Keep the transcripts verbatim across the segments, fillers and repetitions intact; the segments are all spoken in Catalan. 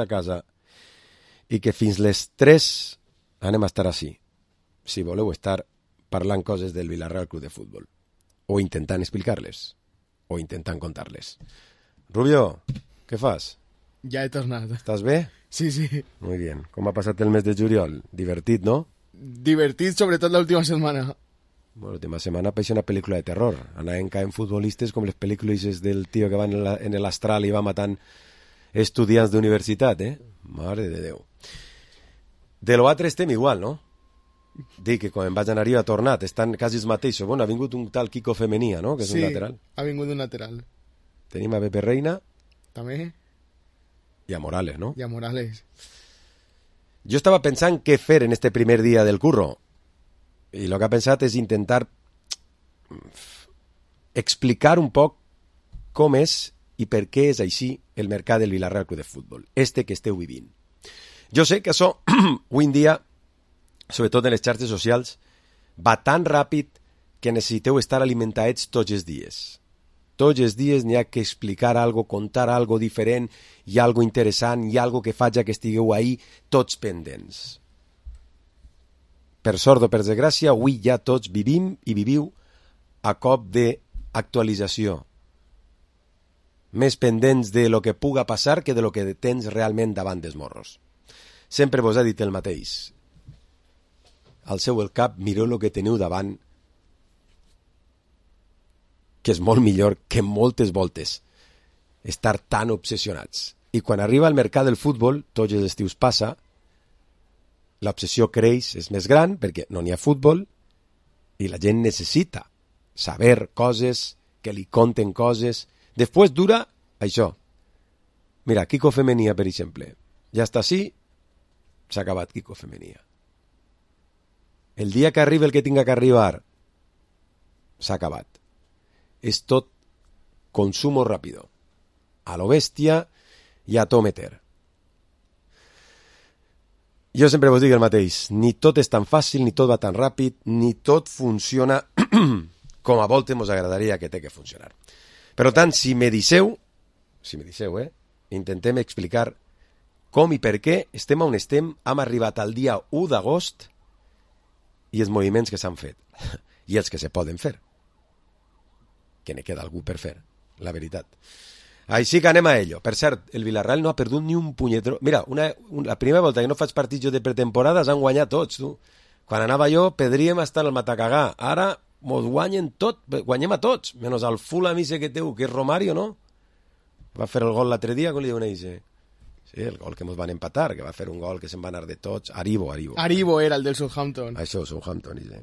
a casa i que fins les tres anem a estar així, si voleu estar parlant coses del Villarreal Club de Futbol, o intentant explicar-les, o intentant contar-les. Rubio, què fas? Ja he tornat. Estàs bé? Sí, sí. Muy bien. Com ha passat el mes de juliol? Divertit, no? Divertit, sobretot l'última setmana. Bueno, l'última setmana pareix una pel·lícula de terror. Anaven caent futbolistes com les pel·lícules del tio que va en, la, en l'astral i va matant estudiants d'universitat, eh? Mare de Déu. De l'altre estem igual, no? Dic que quan em vaig anar-hi ha tornat, estan quasi els mateixos. Bueno, ha vingut un tal Kiko Femenia, no? Que és sí, un lateral. ha vingut un lateral. Tenim a Pepe Reina. També. I a Morales, no? I a Morales. Jo estava pensant què fer en este primer dia del curro. I el que he pensat és intentar explicar un poc com és i per què és així el mercat del Villarreal Club de Futbol, este que esteu vivint. Jo sé que això, avui en dia, sobretot en les xarxes socials, va tan ràpid que necessiteu estar alimentats tots els dies. Tots els dies n'hi ha que explicar algo, contar algo diferent, hi ha algo interessant, hi ha algo que faci que estigueu ahí tots pendents. Per sort o per desgràcia, avui ja tots vivim i viviu a cop d'actualització. Més pendents de lo que puga passar que de lo que tens realment davant dels morros. Sempre vos he dit el mateix. Alceu el cap, mireu el que teniu davant, que és molt millor que moltes voltes estar tan obsessionats. I quan arriba al mercat del futbol, tots els estius passa, l'obsessió creix, és més gran, perquè no n'hi ha futbol, i la gent necessita saber coses, que li conten coses. Després dura això. Mira, Kiko Femenia, per exemple. Ja està així, s'ha acabat Kiko Femenia. El dia que arribi el que tinga que arribar, s'ha acabat. És tot consumo ràpido. A lo bèstia i a to meter. Jo sempre vos dic el mateix, ni tot és tan fàcil, ni tot va tan ràpid, ni tot funciona com a voltes mos agradaria que té que funcionar. Per tant, si me disseu, si me disseu, eh, intentem explicar com i per què estem on estem, hem arribat al dia u d'agost i els moviments que s'han fet, i els que se poden fer, que ne queda algú per fer, la veritat. Així que anem a ello. Per cert, el Villarreal no ha perdut ni un punyetro. Mira, una, una, la primera volta que no faig partits jo de pretemporada s'han guanyat tots, tu. Quan anava jo, pedríem estar al Matacagà. Ara mos guanyen tot, guanyem a tots, menys al Fulham ese que teu, que és Romario, no? Va fer el gol l'altre dia, com li diuen ells? Sí, el gol que mos van empatar, que va fer un gol que se'n va anar de tots. Aribo, Aribo. Aribo era el del Southampton. Això, Southampton, ese.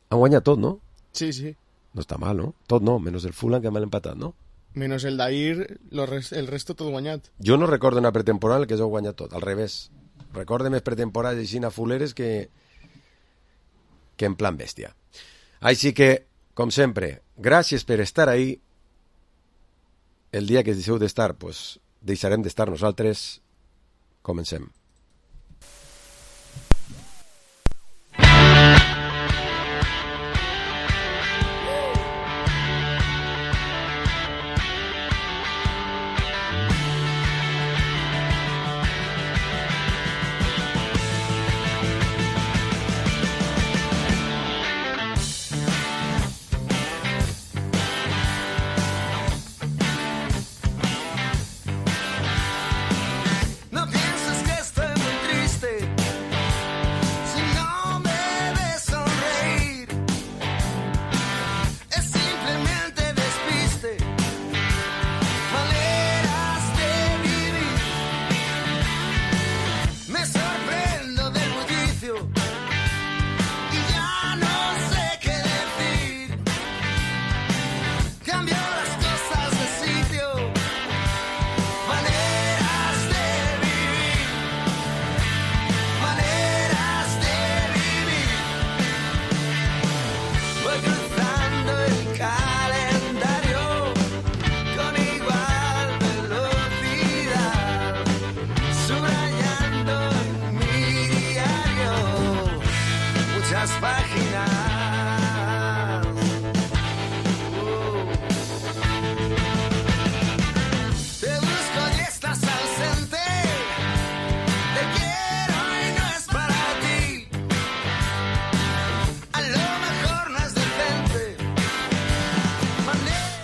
Han guanyat tot, no? Sí, sí. No està mal, no? Tot no, menys el Fulham que m'han empatat, no? Menos el d'ahir, el resto tot guanyat. Jo no recordo una pretemporada que s'ho guanyat tot, al revés. Recordo més pretemporades així a fuleres que, que en plan bèstia. Així que, com sempre, gràcies per estar ahí. El dia que deixeu d'estar, pues, deixarem d'estar nosaltres. Comencem.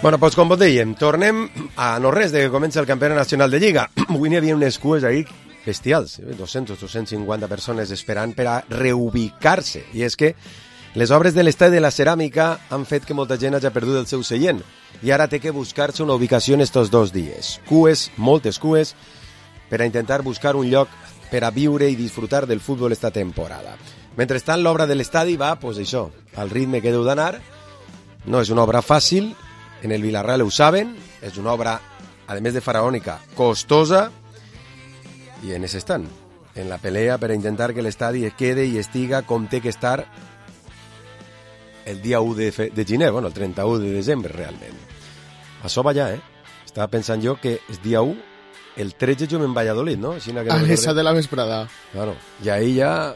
Bueno, doncs com vos dèiem, tornem a no res de que comença el Campionat Nacional de Lliga. Avui n'hi havia unes cues ahí bestials, dos-cents o dos-cents cinquanta persones esperant per a reubicar-se. I és que les obres de l'estadi de la Ceràmica han fet que molta gent hagi perdut el seu seient i ara té que buscar-se una ubicació en estos dos dies. Cues, moltes cues, per a intentar buscar un lloc per a viure i disfrutar del futbol esta temporada. Mentrestant, l'obra de l'estadi va, doncs això, al ritme que deu d'anar. No és una obra fàcil, en el Villarreal ho saben, és una obra, a més de faraònica, costosa, i en ese estan, en la pelea per a intentar que l'estadi quede i estiga com té que estar el dia u de, fe, de gener, bueno, el trenta-u de desembre, realment. Això va ja, eh? Estava pensant jo que és dia u, el tretze jo en Valladolid, no? Així que a no l'esa de la vesprada. Claro, i ahí ja...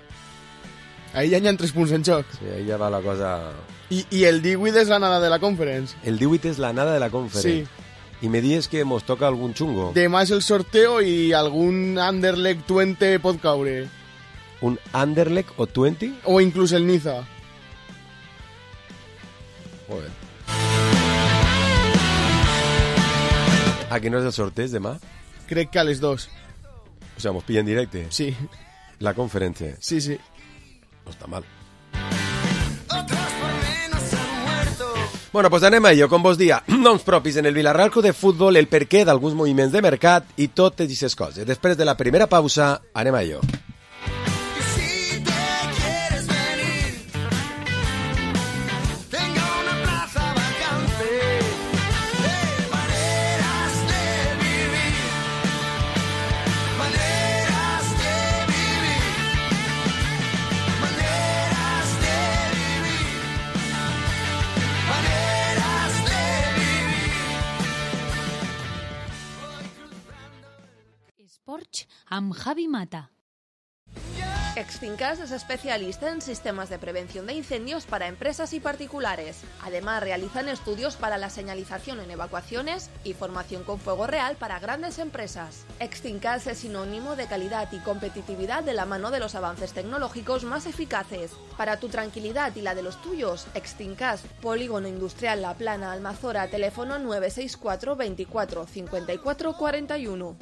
Ahí ja hi ha tres punts en joc. Sí, ahí ja va la cosa... I, i el divuit és la nada de la Conference. El divuit és la nada de la Conference. Sí. I me dius que mos toca algun xungo. Demà és el sorteo i algun Anderlecht veinte pot caure. Un Anderlecht o veinte? O inclús el Niza. Joder. Aquí no és el sorteig demà? Crec que a les dos. O sea, mos pillen directe. Sí. La Conference. Sí, sí. No està mal. Bueno, pues anem a ello, com vos dia, noms propis en el Villarreal Club de Futbol, el perquè d'alguns moviments de mercat i totes aquestes coses. Després de la primera pausa, anem a ello. Porsche amb Javi Mata. Extincas es especialista en sistemas de prevención de incendios para empresas y particulares. Además, realizan estudios para la señalización en evacuaciones y formación con fuego real para grandes empresas. Extincas es sinónimo de calidad y competitividad de la mano de los avances tecnológicos más eficaces. Para tu tranquilidad y la de los tuyos, Extincas, Polígono Industrial La Plana, Almazora, teléfono nueve seis cuatro veinticuatro cincuenta y cuatro cuarenta y uno.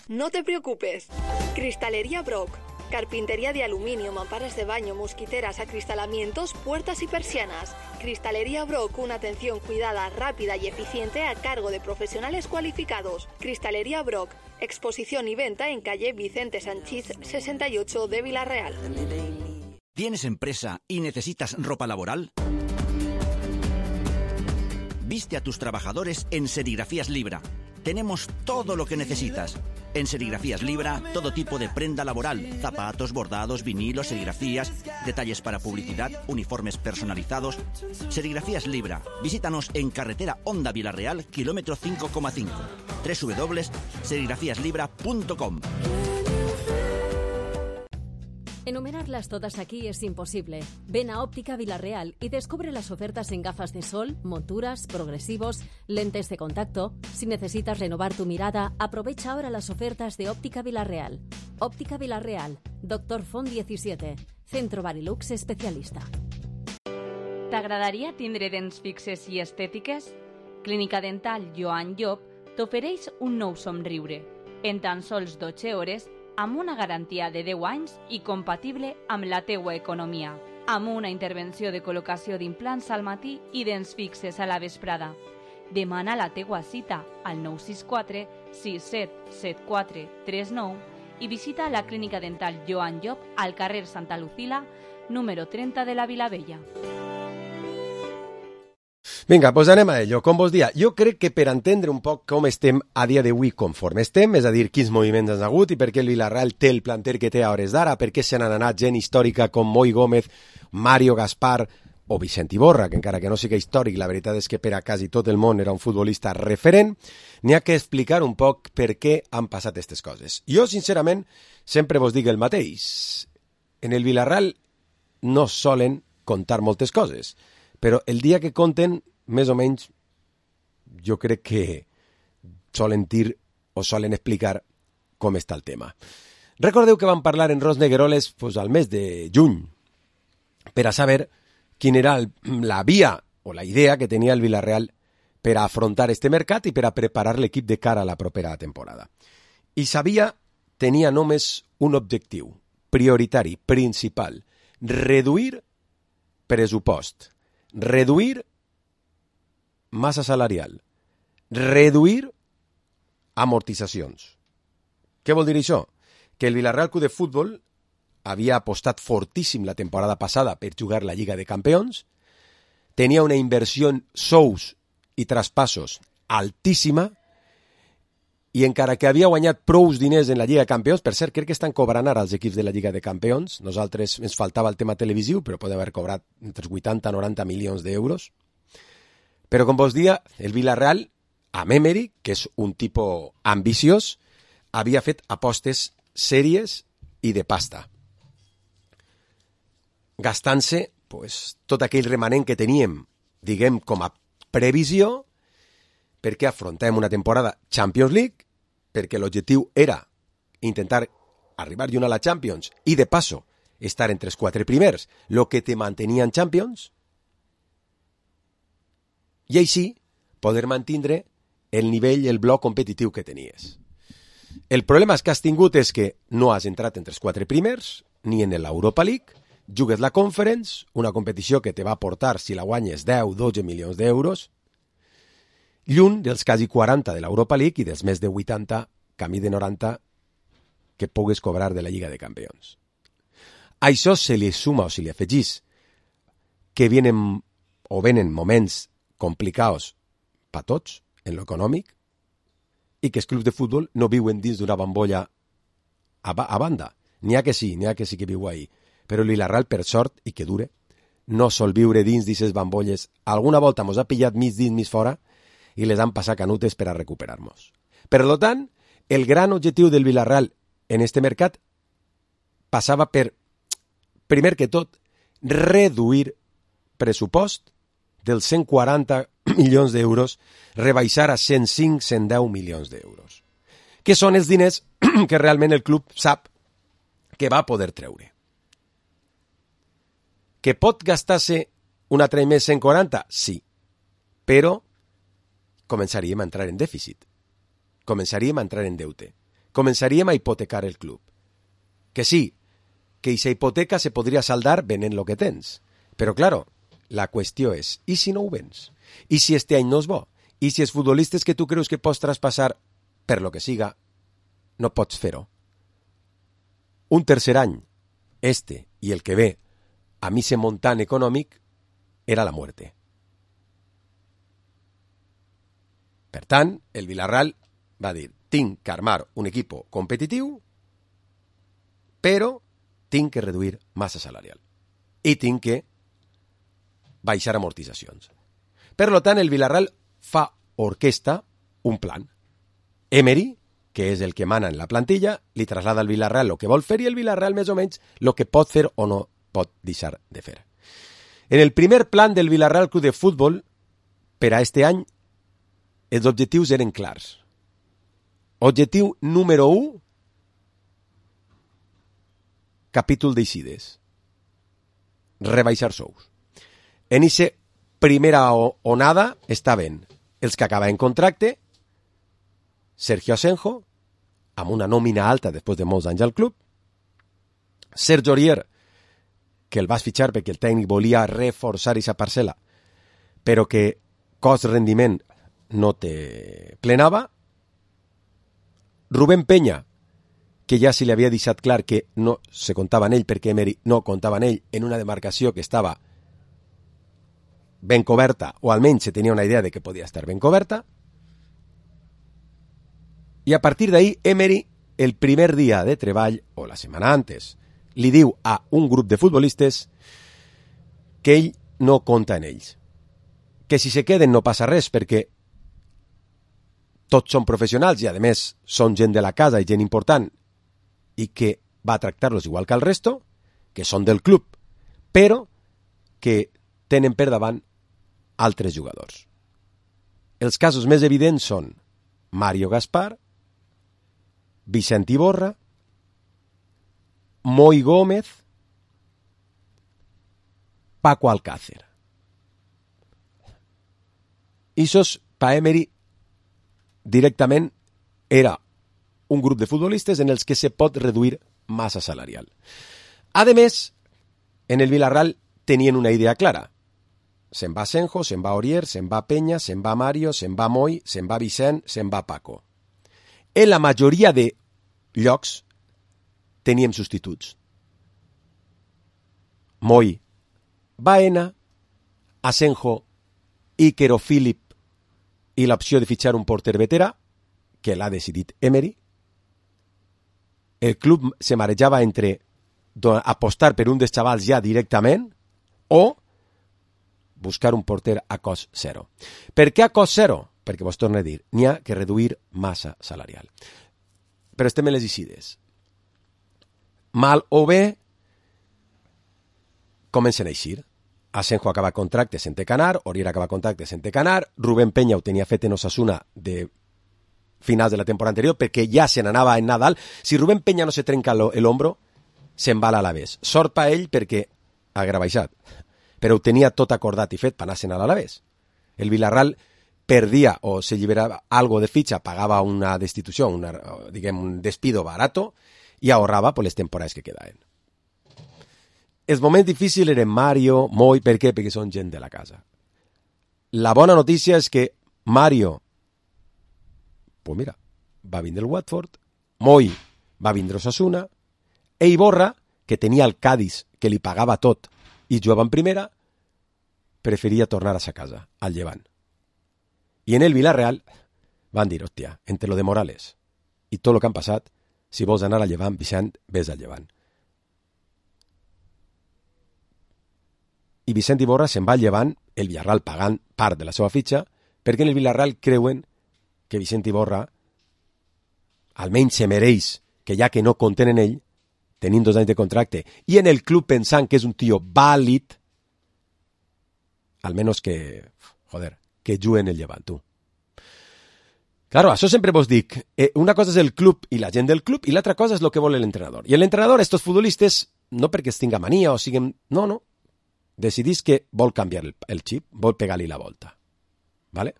No te preocupes. Cristalería Brock. Carpintería de aluminio, mamparas de baño, mosquiteras, acristalamientos, puertas y persianas. Cristalería Brock, una atención cuidada, rápida y eficiente a cargo de profesionales cualificados. Cristalería Brock, exposición y venta en calle Vicente Sanchís sesenta y ocho de Villarreal. ¿Tienes empresa y necesitas ropa laboral? Viste a tus trabajadores en Serigrafías Libra. Tenemos todo lo que necesitas. En Serigrafías Libra, todo tipo de prenda laboral, zapatos, bordados, vinilos, serigrafías, detalles para publicidad, uniformes personalizados. Serigrafías Libra. Visítanos en carretera Honda Villarreal, kilómetro cinco coma cinco. doble u doble u doble u punto serigrafías libra punto com. Enumerarlas todas aquí es imposible. Ven a Óptica Villarreal y descubre las ofertas en gafas de sol, monturas, progresivos, lentes de contacto. Si necesitas renovar tu mirada, aprovecha ahora las ofertas de Óptica Villarreal. Óptica Villarreal, Doctor Font diecisiete, Centro Barilux especialista. T'agradaria tindre dents fixes i estètiques? Clínica Dental Joan Llop t'ofereix un nou somriure. En tan sols dotze hores, amb una garantia de deu anys i compatible amb la teua economia, amb una intervenció de col·locació d'implants al matí i dents fixes a la vesprada. Demana la teua cita al nou sis quatre sis set set quatre tres nou i visita la Clínica Dental Joan Llop al carrer Santa Lucila, número trenta de la Vilavella. Vinga, doncs anem a ello. Com vos dia, jo crec que per entendre un poc com estem a dia d'avui conforme estem, és a dir, quins moviments han hagut i per què el Villarreal té el planter que té a hores d'ara, per què se n'han anat gent històrica com Moi Gómez, Mario Gaspar o Vicent Iborra, que encara que no sigui històric, la veritat és que per a quasi tot el món era un futbolista referent, n'hi ha que explicar un poc per què han passat aquestes coses. Jo, sincerament, sempre vos dic el mateix. En el Villarreal no solen contar moltes coses, però el dia que conten, més o menys, jo crec que solen dir o solen explicar com està el tema. Recordeu que vam parlar en Ros Negueroles pues, al mes de juny per a saber quina era el, la via o la idea que tenia el Villarreal per a afrontar este mercat i per a preparar l'equip de cara a la propera temporada. I sabia, tenia només un objectiu prioritari, principal, reduir pressupost, reduir massa salarial, reduir amortitzacions. Què vol dir això? Que el Villarreal Club de Futbol havia apostat fortíssim la temporada passada per jugar la Lliga de Campions, tenia una inversió en sous i traspassos altíssima, i encara que havia guanyat prous diners en la Lliga de Campions, per cert, crec que estan cobrant ara els equips de la Lliga de Campions, nosaltres ens faltava el tema televisiu, però poden haver cobrat entre vuitanta i noranta milions d'euros. Però, com vos dia, el Villarreal, amb Emery, que és un tipus ambiciós, havia fet apostes sèries i de pasta, gastant-se pues, tot aquell remanent que teníem, diguem, com a previsió, perquè afrontem una temporada Champions League, perquè l'objectiu era intentar arribar lluny a la Champions i, de passo, estar entre els quatre primers, el que te mantenia en Champions, i així poder mantindre el nivell, el bloc competitiu que tenies. El problema que has tingut és que no has entrat entre els quatre primers, ni en l'Europa League, jugues la Conference, una competició que te va aportar, si la guanyes, deu a dotze milions d'euros, lluny dels quasi quaranta de l'Europa League i dels més de vuitanta, camí de noranta, que pugues cobrar de la Lliga de Campions. A això se li suma o se li afegís que vienen o venen moments complicats per tots en l'econòmic i que els clubs de futbol no viuen dins d'una bambolla a, ba a banda. N'hi ha que sí, n'hi ha que sí que viu ahí. Però el Villarreal, per sort, i que dure, no sol viure dins d'aquestes bambolles. Alguna volta mos ha pillat mig dins, mig fora, i les han passat canutes per a recuperar-nos. Per tant, el gran objectiu del Villarreal en este mercat passava per, primer que tot, reduir pressupost dels cent quaranta milions d'euros, rebaixar a cent cinc a cent deu milions d'euros, que són els diners que realment el club sap que va poder treure. Que pot gastar-se un altre més cent quaranta? Sí, però començaríem a entrar en dèficit, començaríem a entrar en deute, començaríem a hipotecar el club. Que sí, que aquesta hipoteca se podria saldar venent el que tens, però, claro, la qüestió és, i si no ho vens? I si este any no és bo? I si els futbolistes que tu creus que pots traspassar, per lo que siga, no pots fer-ho? Un tercer any, este i el que ve, a mi se montant econòmic, era la muerte. Per tant, el Villarreal va dir, tinc que armar un equip competitiu, però tinc que reduir massa salarial. I tinc que baixar amortitzacions. Per tant, el Villarreal fa orquesta un plan. Emery, que és el que mana en la plantilla, li traslada al Villarreal el que vol fer i el Villarreal més o menys el que pot fer o no pot deixar de fer. En el primer plan del Villarreal Club de Futbol, per a este any, els objectius eren clars. Objectiu número u, capítol d'eixides. Rebaixar sous. En aquesta primera onada estaven els que acabaven contracte, Sergio Asenjo, amb una nòmina alta després de molts anys al club, Sergio Aurier, que el vas fitxar perquè el tècnic volia reforçar aquesta parcel·la, però que cost-rendiment no te plenava, Rubén Peña, que ja se li havia deixat clar que no se comptava en ell perquè Emery no comptava en ell en una demarcació que estava ben coberta, o almenys se tenia una idea de que podia estar ben coberta, i a partir d'ahí Emery, el primer dia de treball, o la setmana antes, li diu a un grup de futbolistes que ell no compta en ells, que si se queden no passa res perquè tots són professionals i a més són gent de la casa i gent important i que va a tractar-los igual que al resto, que són del club, però que tenen per davant altres jugadors. Els casos més evidents són Mario Gaspar, Vicent Iborra, Moi Gómez, Paco Alcácer. Ixos pa Emery directament era un grup de futbolistes en els que se pot reduir massa salarial. A més, en el Villarreal tenien una idea clara. Se'n va Senjo, se'n va Aurier, se'n va Peña, se'n va Mario, se'n va Moy, se'n va Vicent, se'n va Paco. En la majoria de llocs teníem substituts. Moy, Baena, Asenjo, Iker o Philip i l'opció de fitxar un porter veterà, que l'ha decidit Emery. El club se marejava entre apostar per un dels xavals ja directament o buscar un porter a cost zero. Per què a cost zero? Perquè vos torno a dir, n'hi ha que reduir massa salarial. Però estem en les eixides. Mal o bé, comencen a eixir. Asenjo acaba contracte sense canar, Aurier acaba contracte sense canar, Rubén Peña ho tenia fet en Osasuna de finals de la temporada anterior perquè ja se n'anava en Nadal. Si Rubén Peña no se trenca l'hombro, se'n va a l'Alavés. Sort per ell perquè ha rebaixat, però ho tenia tot acordat i fet per anar-se'n a l'Alavés. El Villarreal perdia o se lliberava algo de fitxa, pagava una destitució, una, diguem, un despido barato i ahorrava per les temporades que quedaven. Els moments difícils eren Mario, Moy, per què? Perquè són gent de la casa. La bona notícia és que Mario, pues mira, va vindre el Watford, Moy va vindre Osasuna, e Iborra, que tenia el Cádiz, que li pagava tot, i jugava en primera, preferia tornar a sa casa, al Llevant. I en el Villarreal van dir, hòstia, entre lo de Morales i tot el que han passat, si vols anar al Llevant, Vicent, ves al Llevant. I Vicent Iborra se'n va al Llevant, el Villarreal pagant part de la seva fitxa, perquè en el Villarreal creuen que Vicent Iborra almenys se mereix que ja que no compten en ell, tenint dos anys de contracte, i en el club pensant que és un tio vàlid, almenys que, joder, que juguen el Llevant, tu. Claro, això sempre vos dic, eh, una cosa és el club i la gent del club, i l'altra cosa és el que vol l'entrenador. I l'entrenador, estos futbolistes, no perquè es tinga mania o siguin... No, no. Decidís que vol canviar el, el xip, vol pegar-li la volta. ¿Vale?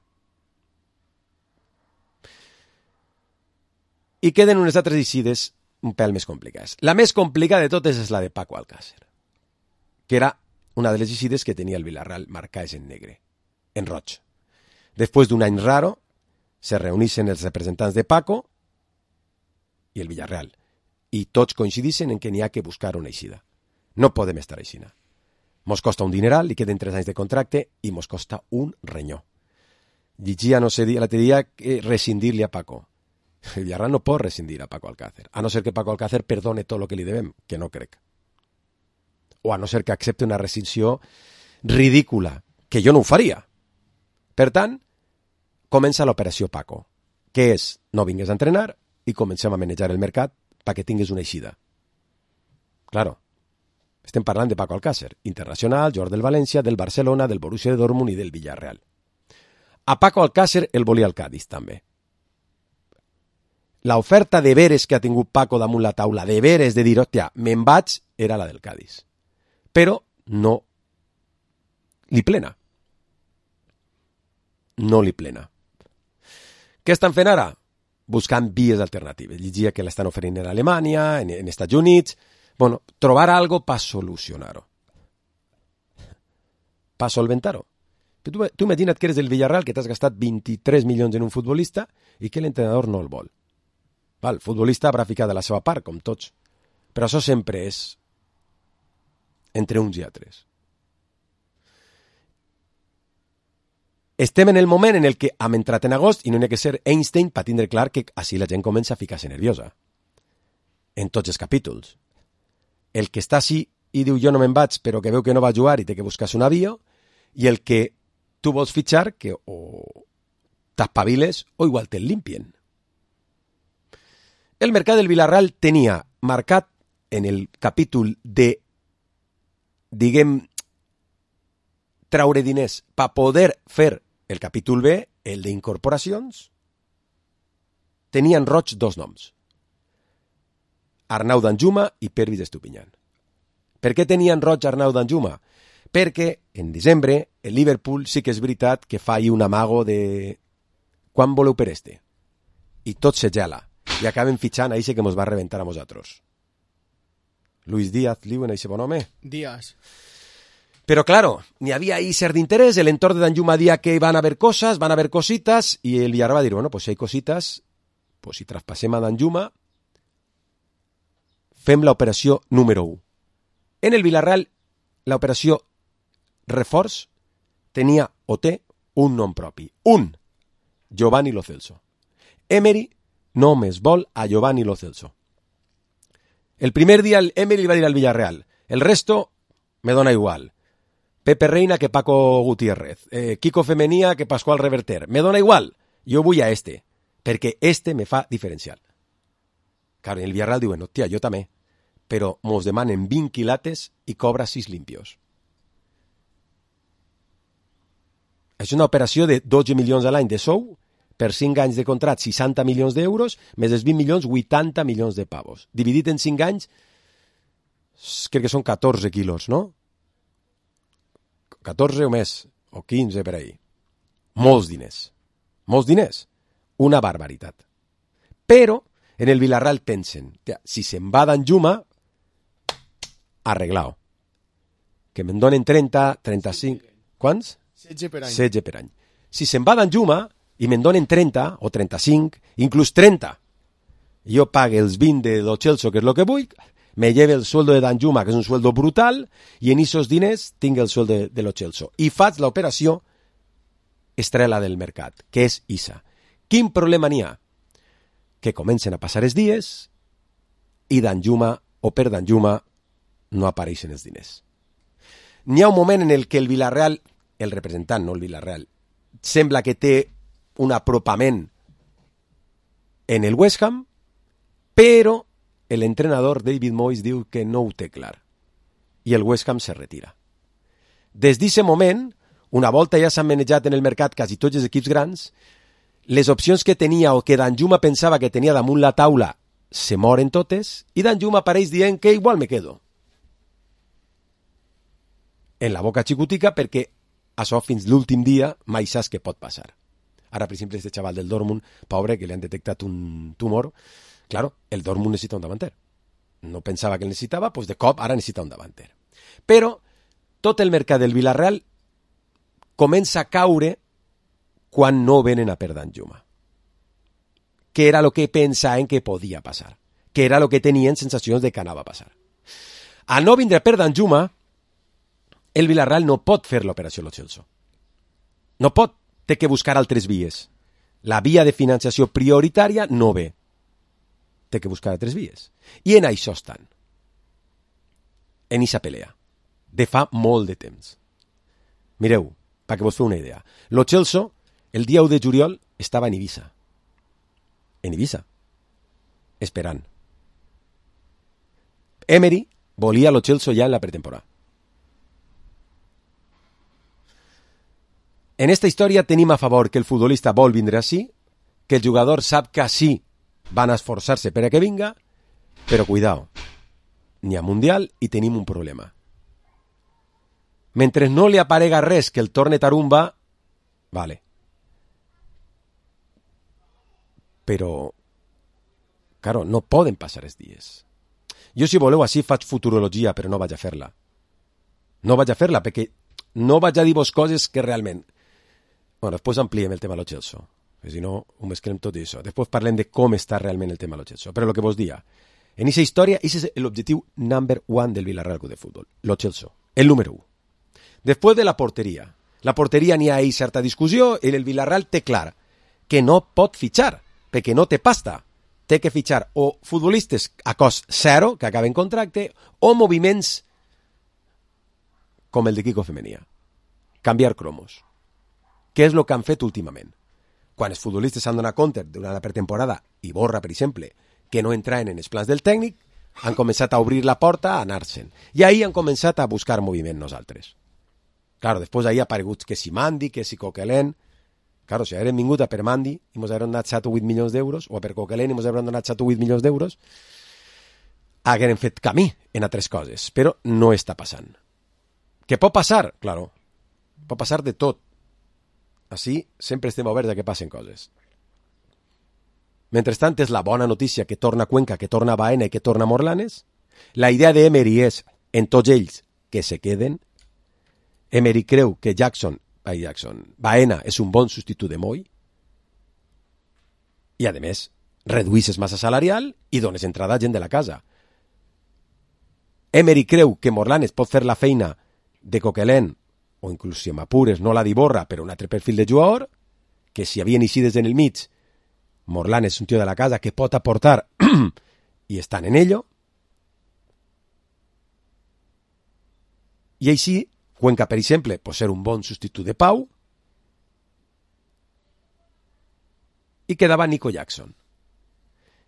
I queden unes altres eixides un pèl més complicades. La més complicada de totes és la de Paco Alcácer, que era una de les eixides que tenia el Villarreal marcades en negre, en roig. Després d'un any raro, se reuneixen els representants de Paco i el Villarreal, i tots coincideixen en que n'hi ha que buscar una eixida. No podem estar així. Mos costa un dineral, li queden tres anys de contracte i mos costa un renyó. Llegia, no sé, l'altre dia, que rescindir-li a Paco. El Villarreal no pot rescindir a Paco Alcácer, a no ser que Paco Alcácer perdone tot el que li devem, que no crec. O a no ser que accepte una rescissió ridícula, que jo no ho faria. Per tant, comença l'operació Paco, que és no vingues a entrenar i comencem a manejar el mercat perquè tingues una eixida. Claro, estem parlant de Paco Alcácer, internacional, jugador del València, del Barcelona, del Borussia Dortmund i del Villarreal. A Paco Alcácer el volia el Cádiz, també. L'oferta de veres que ha tingut Paco damunt la taula, de veres, de dir, hòstia, me'n vaig, era la del Cádiz. Però no li plena. No li plena. Què estan fent ara? Buscant vies alternatives. Llegia que l'estan oferint en Alemanya, en, en Estats Units... Bueno, trobar algo para solucionar-ho. Para solventar-ho. Tu, tu imagina't que eres del Villarreal, que t'has gastat vint-i-tres milions en un futbolista i que l'entrenador no el vol. Val, el futbolista haurà ficat de la seva part, com tots. Però això sempre és entre uns i altres. Estem en el moment en el que hem entrat en agost i no n'hi ha que ser Einstein per tindre clar que així la gent comença a ficar-se nerviosa. En tots els capítols. El que està així i diu jo no me'n vaig però que veu que no va jugar i té que buscar-se un avió, i el que tu vols fitxar que o t'espaviles o igual te'l limpien. El mercat del Villarreal tenia marcat en el capítol de, diguem, traure diners per poder fer el capítol B, el d'incorporacions, tenien roig dos noms. Arnau Danjuma i Pervis Estupiñán. Per què tenien roig Arnau Danjuma? Perquè en desembre el Liverpool sí que és veritat que fa ahir un amago de quan voleu per este? I tot se gela. I acaben fitxant a eixe que mos va reventar a nosaltres. Luis Díaz, Liuen, eixe bon home. Díaz. Pero claro, ni había ahí ser de interés, el entorno de Danjuma decía que van a haber cosas, van a haber cositas, y el Villarreal va a decir, bueno, pues si hay cositas, pues si traspasem a Danjuma, fem la operació número u. En el Villarreal, la operació reforç tenia o té un nom propi. Un, Giovanni Lo Celso. Emery només vol a Giovanni Lo Celso. El primer dia el Emery li va dir al Villarreal, el resto me dona igual. Pepe Reina que Paco Gutiérrez, eh, Kiko Femenía que Pascual Reverter. Me dona igual, jo vull a este, perquè este me fa diferencial. Claro, en el Villarreal diuen, hòstia, jo també, però mos demanen vint quilates i cobra sis limpios. És una operació de dotze milions a l'any de sou, per cinc anys de contrat, seixanta milions d'euros, més els vint milions, vuitanta milions de pavos. Dividit en cinc anys, crec que són catorze quilos, no? catorze o més, o quinze per ahí. Molts diners. Molts diners. Una barbaritat. Però en el Villarreal pensen, si se'n va Danjuma, arreglao. Que me'n donen trenta, trenta-cinc... Quants? setze per any. setze per any. Si se'n va Danjuma i me'n donen trenta o trenta-cinc, inclús trenta, jo pague els vint de Lo Celso, que és el que vull, me lleve el sueldo de Danjuma, que és un sueldo brutal, i en esos diners tinc el sueldo de, de Lo Celso. I faig l'operació estrella del mercat, que és Isa. Quin problema n'hi ha? Que comencen a passar els dies i Danjuma, o per Danjuma, no apareixen els diners. N'hi ha un moment en el que el Villarreal, el representant, no el Villarreal, sembla que té un apropament en el West Ham, però l'entrenador David Moyes diu que no ho té clar i el West Ham se retira. Des d'aquest moment, una volta ja s'han manejat en el mercat quasi tots els equips grans, les opcions que tenia o que Danjuma pensava que tenia damunt la taula se moren totes i Danjuma apareix dient que igual me quedo. En la boca xicotica perquè això fins l'últim dia mai saps què pot passar. Ara, per exemple, este xaval del Dortmund, pobre, que li han detectat un tumor, claro, el Dortmund necessita un davanter. No pensava que el necessitava, doncs de cop ara necessita un davanter. Però tot el mercat del Villarreal comença a caure quan no venen a per Danjuma. Que era el que pensaven que podia passar. Que era el que tenien sensacions de que anava a passar. A no vindre per Danjuma, el Villarreal no pot fer l'operació Lo Celso. No pot, té que buscar altres vies. La via de financiació prioritària no ve. Té que buscar altres vies. I en això estan. En aquesta pelea. De fa molt de temps. Mireu, perquè vos feu una idea. Lo Celso, el dia u de juliol, estava en Ibiza. En Ibiza. Esperant. Emery volia Lo Celso ja en la pretemporada. En esta història tenim a favor que el futbolista vol vindre així, que el jugador sap que així van a esforçar-se per a que vinga, però cuidao, n'hi ha Mundial i tenim un problema. Mentre no li aparega res que el torne tarumba, vale. Però, claro, no poden passar els dies. Jo, si voleu, així faig futurologia, però no vaig a fer-la. No vaig a fer-la, perquè no vaig a dir-vos coses que realment... Bueno, després ampliem el tema Lo Celso, que si no ho mesclem tot això. Després parlem de com està realment el tema Lo Celso. Però el que vos dia, en aquesta història, aquest és l'objectiu number one del Villarreal Club de Futbol. Lo Celso, el número u. Després de la porteria. La porteria n'hi ha ahí certa discussió i el Villarreal té clar que no pot fitxar, perquè no té pasta. Té que fitxar o futbolistes a cost zero, que acaben contracte, o moviments com el de Kiko Femenía. Canviar cromos. Què és el que han fet últimament? Quan els futbolistes s'han donat compte durant la pretemporada, i Borra, per exemple, que no entraven en els plans del tècnic, han començat a obrir la porta a anar-se'n. I ahir han començat a buscar moviment nosaltres. Claro, després ahir ha aparegut que si Mandi, que si Coquelin... Claro, si haguem vingut a per Mandi i ens haguem donat set o vuit milions d'euros, o a per Coquelin i ens haguem donat set o vuit milions d'euros, haguem fet camí en altres coses, però no està passant. Què pot passar? Claro, pot passar de tot. Així sempre estem oberts a que passen coses. Mentrestant, és la bona notícia que torna Cuenca, que torna Baena i que torna Morlanes. La idea d'Emery és, en tots ells, que se queden. Emery creu que Jackson, ai, Jackson, Baena és un bon substitut de Moy. I, a més, reduïsses massa salarial i dones entrada a gent de la casa. Emery creu que Morlanes pot fer la feina de Coquelin, o inclús si m'apures no la d'Iborra, però un altre perfil de jugador, que si havien eixides en el mig, Morlanes és un tio de la casa que pot aportar i estan en ello. I així, Cuenca, per exemple, pot ser un bon substitut de Pau, i quedava Nico Jackson.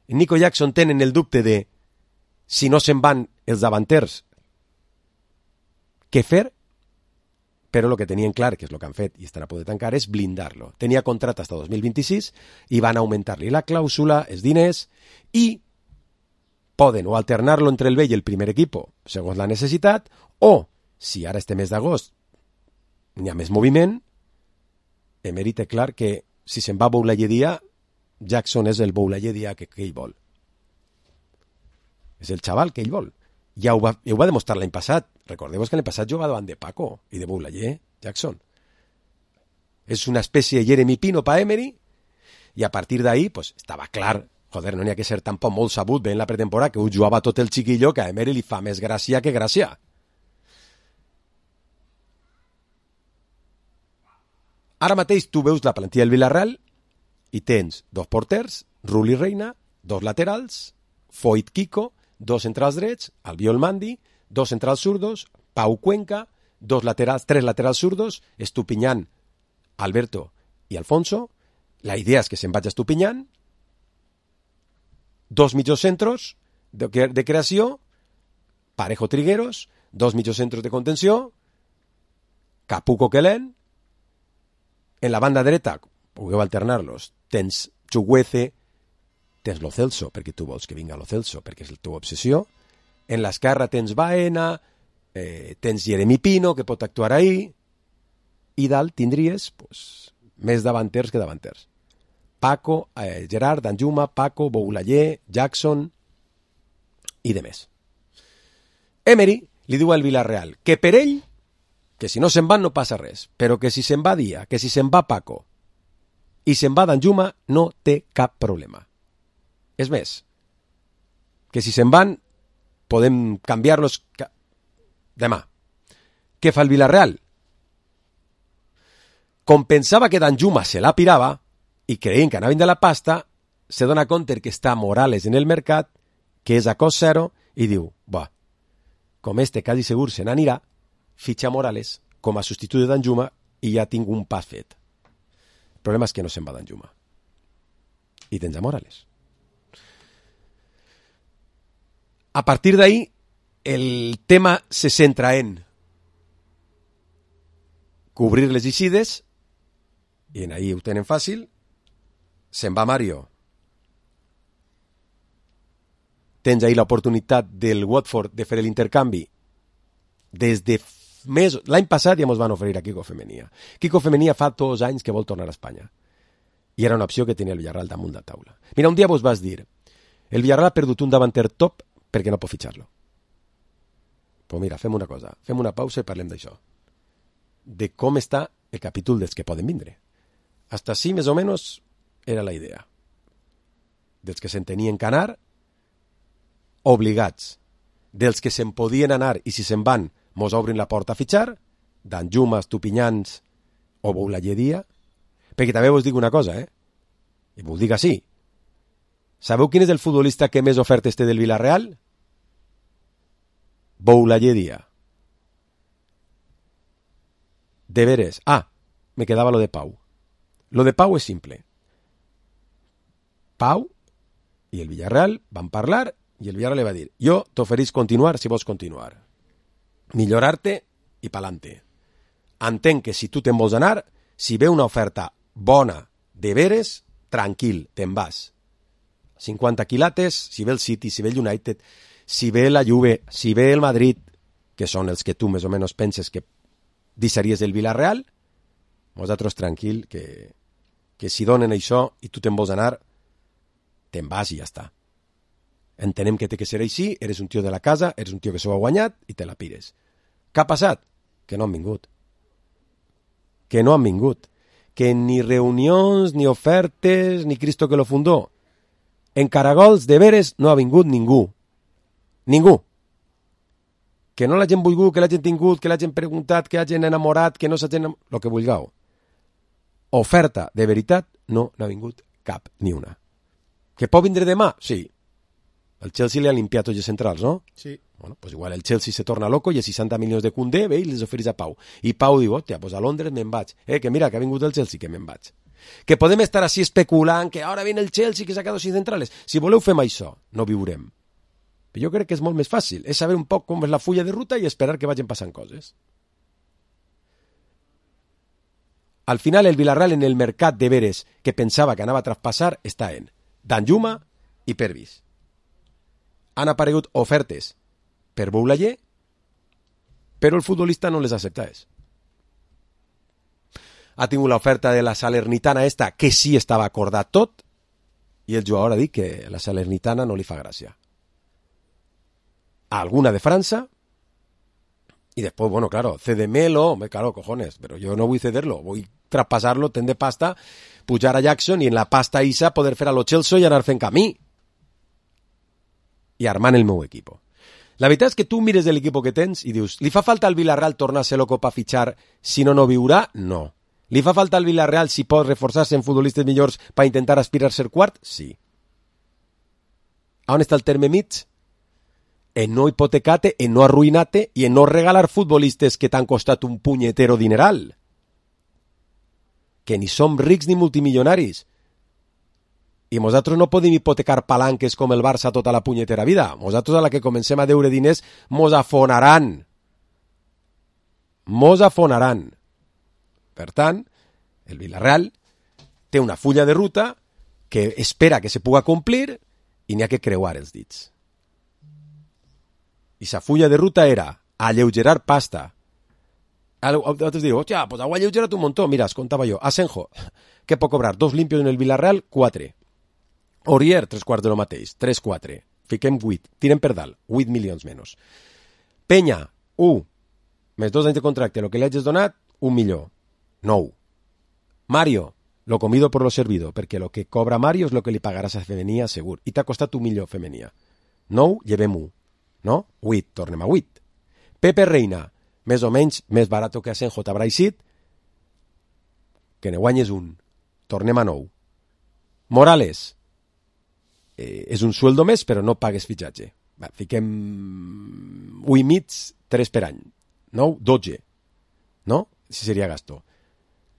En Nico Jackson tenen el dubte de si no se'n van els davanters, què fer? Però el que tenien clar, que és el que han fet i estan a punt de tancar, és blindar-lo. Tenia contracte fins al dos mil vint-i-sis i van augmentar-li la clàusula, els diners, i poden o alternar-lo entre el vell i el primer equip, segons la necessitat, o, si ara este mes d'agost n'hi ha més moviment, Emery té clar que si se'n va Boulayedia, Jackson és el Boulayedia que, que ell vol. És el xaval que ell vol. Ja ho va, ho va demostrar l'any passat. Recordeu que l'any passat jugava davant de Paco i de Boulaye, Jackson. És una espècie de Jeremy Pino per Emery, i a partir d'ahí pues, estava clar, joder, no n'hi ha que ser tampoc molt sabut bé en la pretemporada, que ho jugava tot el xiquillo, que a Emery li fa més gràcia que gràcia. Ara mateix tu veus la plantilla del Villarreal i tens dos porters, Rulli Reina, dos laterals, Foyt Kiko, dos centrals drets, Albiol Mandi, dos centrals zurdos, Pau Cuenca, dos laterals, tres laterals zurdos, Estupiñán, Alberto i Alfonso. La idea és que se'n vaig a Estupiñán, dos mitjocentros de, de creació, Parejo Trigueros, dos mitjocentros de contenció, Capu Coquelin. En la banda dreta, pugueu alternar-los, tens Chuguece, tens Lo Celso, perquè tu vols que vinga Lo Celso, perquè és la teva obsessió. En l'esquerra tens Baena, eh, tens Jeremy Pino, que pot actuar ahí, i dalt tindries pues, més davanters que davanters. Paco, eh, Gerard, Danjuma, Paco, Boulaye, Jackson i de més. Emery li diu al Villarreal que per ell, que si no se'n van no passa res, però que si se'n va Dia, que si se'n va Paco i se'n va Danjuma no té cap problema. És més, que si se'n van podem canviar-los ca... demà. Què fa el Villarreal? Com pensava que Danjuma se la pirava i creien que anaven de la pasta, se dona compte que està Morales en el mercat, que és a cost zero, i diu, va, com este quasi segur se n'anirà, fitxa Morales com a substitut de Danjuma i ja tinc un pas fet. El problema és que no se'n va Danjuma. I tens a Morales. A partir d'ahí, el tema se centra en cobrir les eixides, i en ahí ho tenen fàcil. Se'n va Mario. Tens ahí l'oportunitat del Watford de fer l'intercanvi. Des de mesos... L'any passat ja ens van oferir a Kiko Femenia. Kiko Femenia fa dos anys que vol tornar a Espanya. I era una opció que tenia el Villarreal damunt de taula. Mira, un dia vos vas dir, el Villarreal ha perdut un davanter top perquè no pot fitxar-lo. Pues mira, fem una cosa, fem una pausa i parlem d'això. De com està el capítol dels que poden vindre. Hasta així, més o menys, era la idea. Dels que se'n tenien que anar, obligats. Dels que se'n podien anar i si se'n van mos obrin la porta a fitxar, Danjuma, Estupiñans o Boulayedia, perquè també vos dic una cosa, eh? I vos dic així. Sabeu quin és el futbolista que més ofertes té del Villarreal? Boulayedia. De veres. Ah, me quedava lo de Pau. Lo de Pau és simple. Pau i el Villarreal van parlar i el Villarreal li va dir, jo t'oferís continuar si vols continuar. Millorar-te i pa'lante. Entenc que si tu te'n vols anar, si ve una oferta bona de veres, tranquil, te'n vas. cinquanta quilates, si ve el City, si ve el United, si ve la Juve, si ve el Madrid, que són els que tu més o menys penses que deixaries el Villarreal, nosaltres tranquil, que, que si donen això i tu te'n vols anar, te'n vas i ja està. Entenem que té que ser així, eres un tio de la casa, eres un tio que s'ho ha guanyat i te la pires. Què ha passat? Que no han vingut. Que no han vingut. Que ni reunions, ni ofertes, ni Cristo que lo fundó. En Caragols, de veres, no ha vingut ningú. Ningú. Que no l'hagin volgut, que l'hagin tingut, que l'hagin preguntat, que l'hagin enamorat, que no s'hagin... Lo que vulgueu. Oferta de veritat no n'ha vingut cap, ni una. Que pot vindre demà? Sí. El Chelsea li ha limpiat tots els centrals, no? Sí. Bueno, pues igual el Chelsea se torna loco i a seixanta milions de Koundé ve i les ofereix a Pau. I Pau diu, hòstia, pues a Londres me'n vaig. Eh, que mira, que ha vingut el Chelsea, que me'n vaig. Que podem estar així especulant que ara viene el Chelsea que s'ha quedat sin centrales. Si voleu fem això, no viurem. Però jo crec que és molt més fàcil. És saber un poc com és la fulla de ruta i esperar que vagin passant coses. Al final el Villarreal en el mercat de veres que pensava que anava a traspassar està en Danjuma i Pervis. Han aparegut ofertes per Boulaye, però el futbolista no les accepta. Ha tingut l'oferta de la Salernitana esta, que sí estava acordat tot, i el jugador ha dit que la Salernitana no li fa gràcia. Alguna de França, y después, bueno, claro, cédemelo, claro, cojones, pero yo no voy a cederlo, voy a traspasarlo, ten de pasta, pujar a Jackson y en la pasta Isa poder fer a lo Chelsea i anar fent camí. I armant el meu equipo. La veritat és que tu mires de l'equipo que tens i dius, li fa falta al Villarreal tornar-se loco per fitxar, si no, no viurà? No. Li fa falta al Villarreal si pot reforçar-se en futbolistes millors per intentar aspirar a ser quart? Sí. On està el terme mig? En no hipotecate, en no arruinate i en no regalar futbolistes que t'han costat un punyetero dineral. Que ni som rics ni multimilionaris. I nosaltres no podem hipotecar palanques com el Barça tota la punyetera vida. Nosaltres a la que comencem a deure diners mos afonaran. Mos afonaran. Per tant, el Villarreal té una fulla de ruta que espera que se puga complir i n'hi ha que creuar els dits. I sa fulla de ruta era alleugerar pasta. Altres diu, hòstia, pues ho ha alleugerat un montón. Mira, es contava jo. Asenjo, què pot cobrar? Dos limpios en el Villarreal, quatre. Aurier, tres quarts de lo mateix, tres quatre. Fiquem vuit, tirem per dalt, vuit milions menys. Penya, u, més dos anys de contracte, el que li hagis donat, un milió, nou. Mario, lo comido por lo servido, perquè lo que cobra Mario és lo que li pagaràs a Femenia, segur, i t'ha costat un milió Femenia. Nou, llevem u, no? Vuit, tornem a vuit. Pepe Reina, més o menys, més barat que Asenjo t'haurà eixit, que ne guanyes un, tornem a nou. Morales, Eh, és un sueldo més, però no pagues fitxatge. Va, fiquem u i mig, tres per any. Nou, dotze. No? Si seria gasto.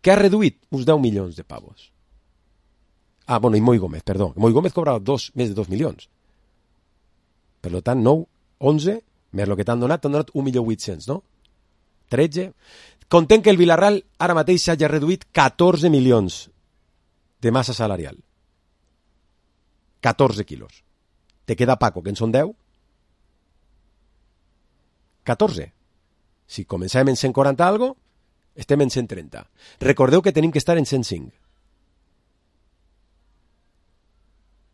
Què ha reduït? Uns deu milions de pavos. Ah, bueno, i Moi Gómez, perdó. Moi Gómez cobra dos, més de dos milions. Per tant, nou, onze, més el que t'han donat, t'han donat un milió vuit-cents, no? tretze. Content que el Villarreal ara mateix s'hagi reduït catorze milions de massa salarial. catorze quilos. Te queda Paco, que en són deu? catorze. Si començàvem en cent quaranta algo, estem en cent trenta. Recordeu que tenim que estar en cent cinc.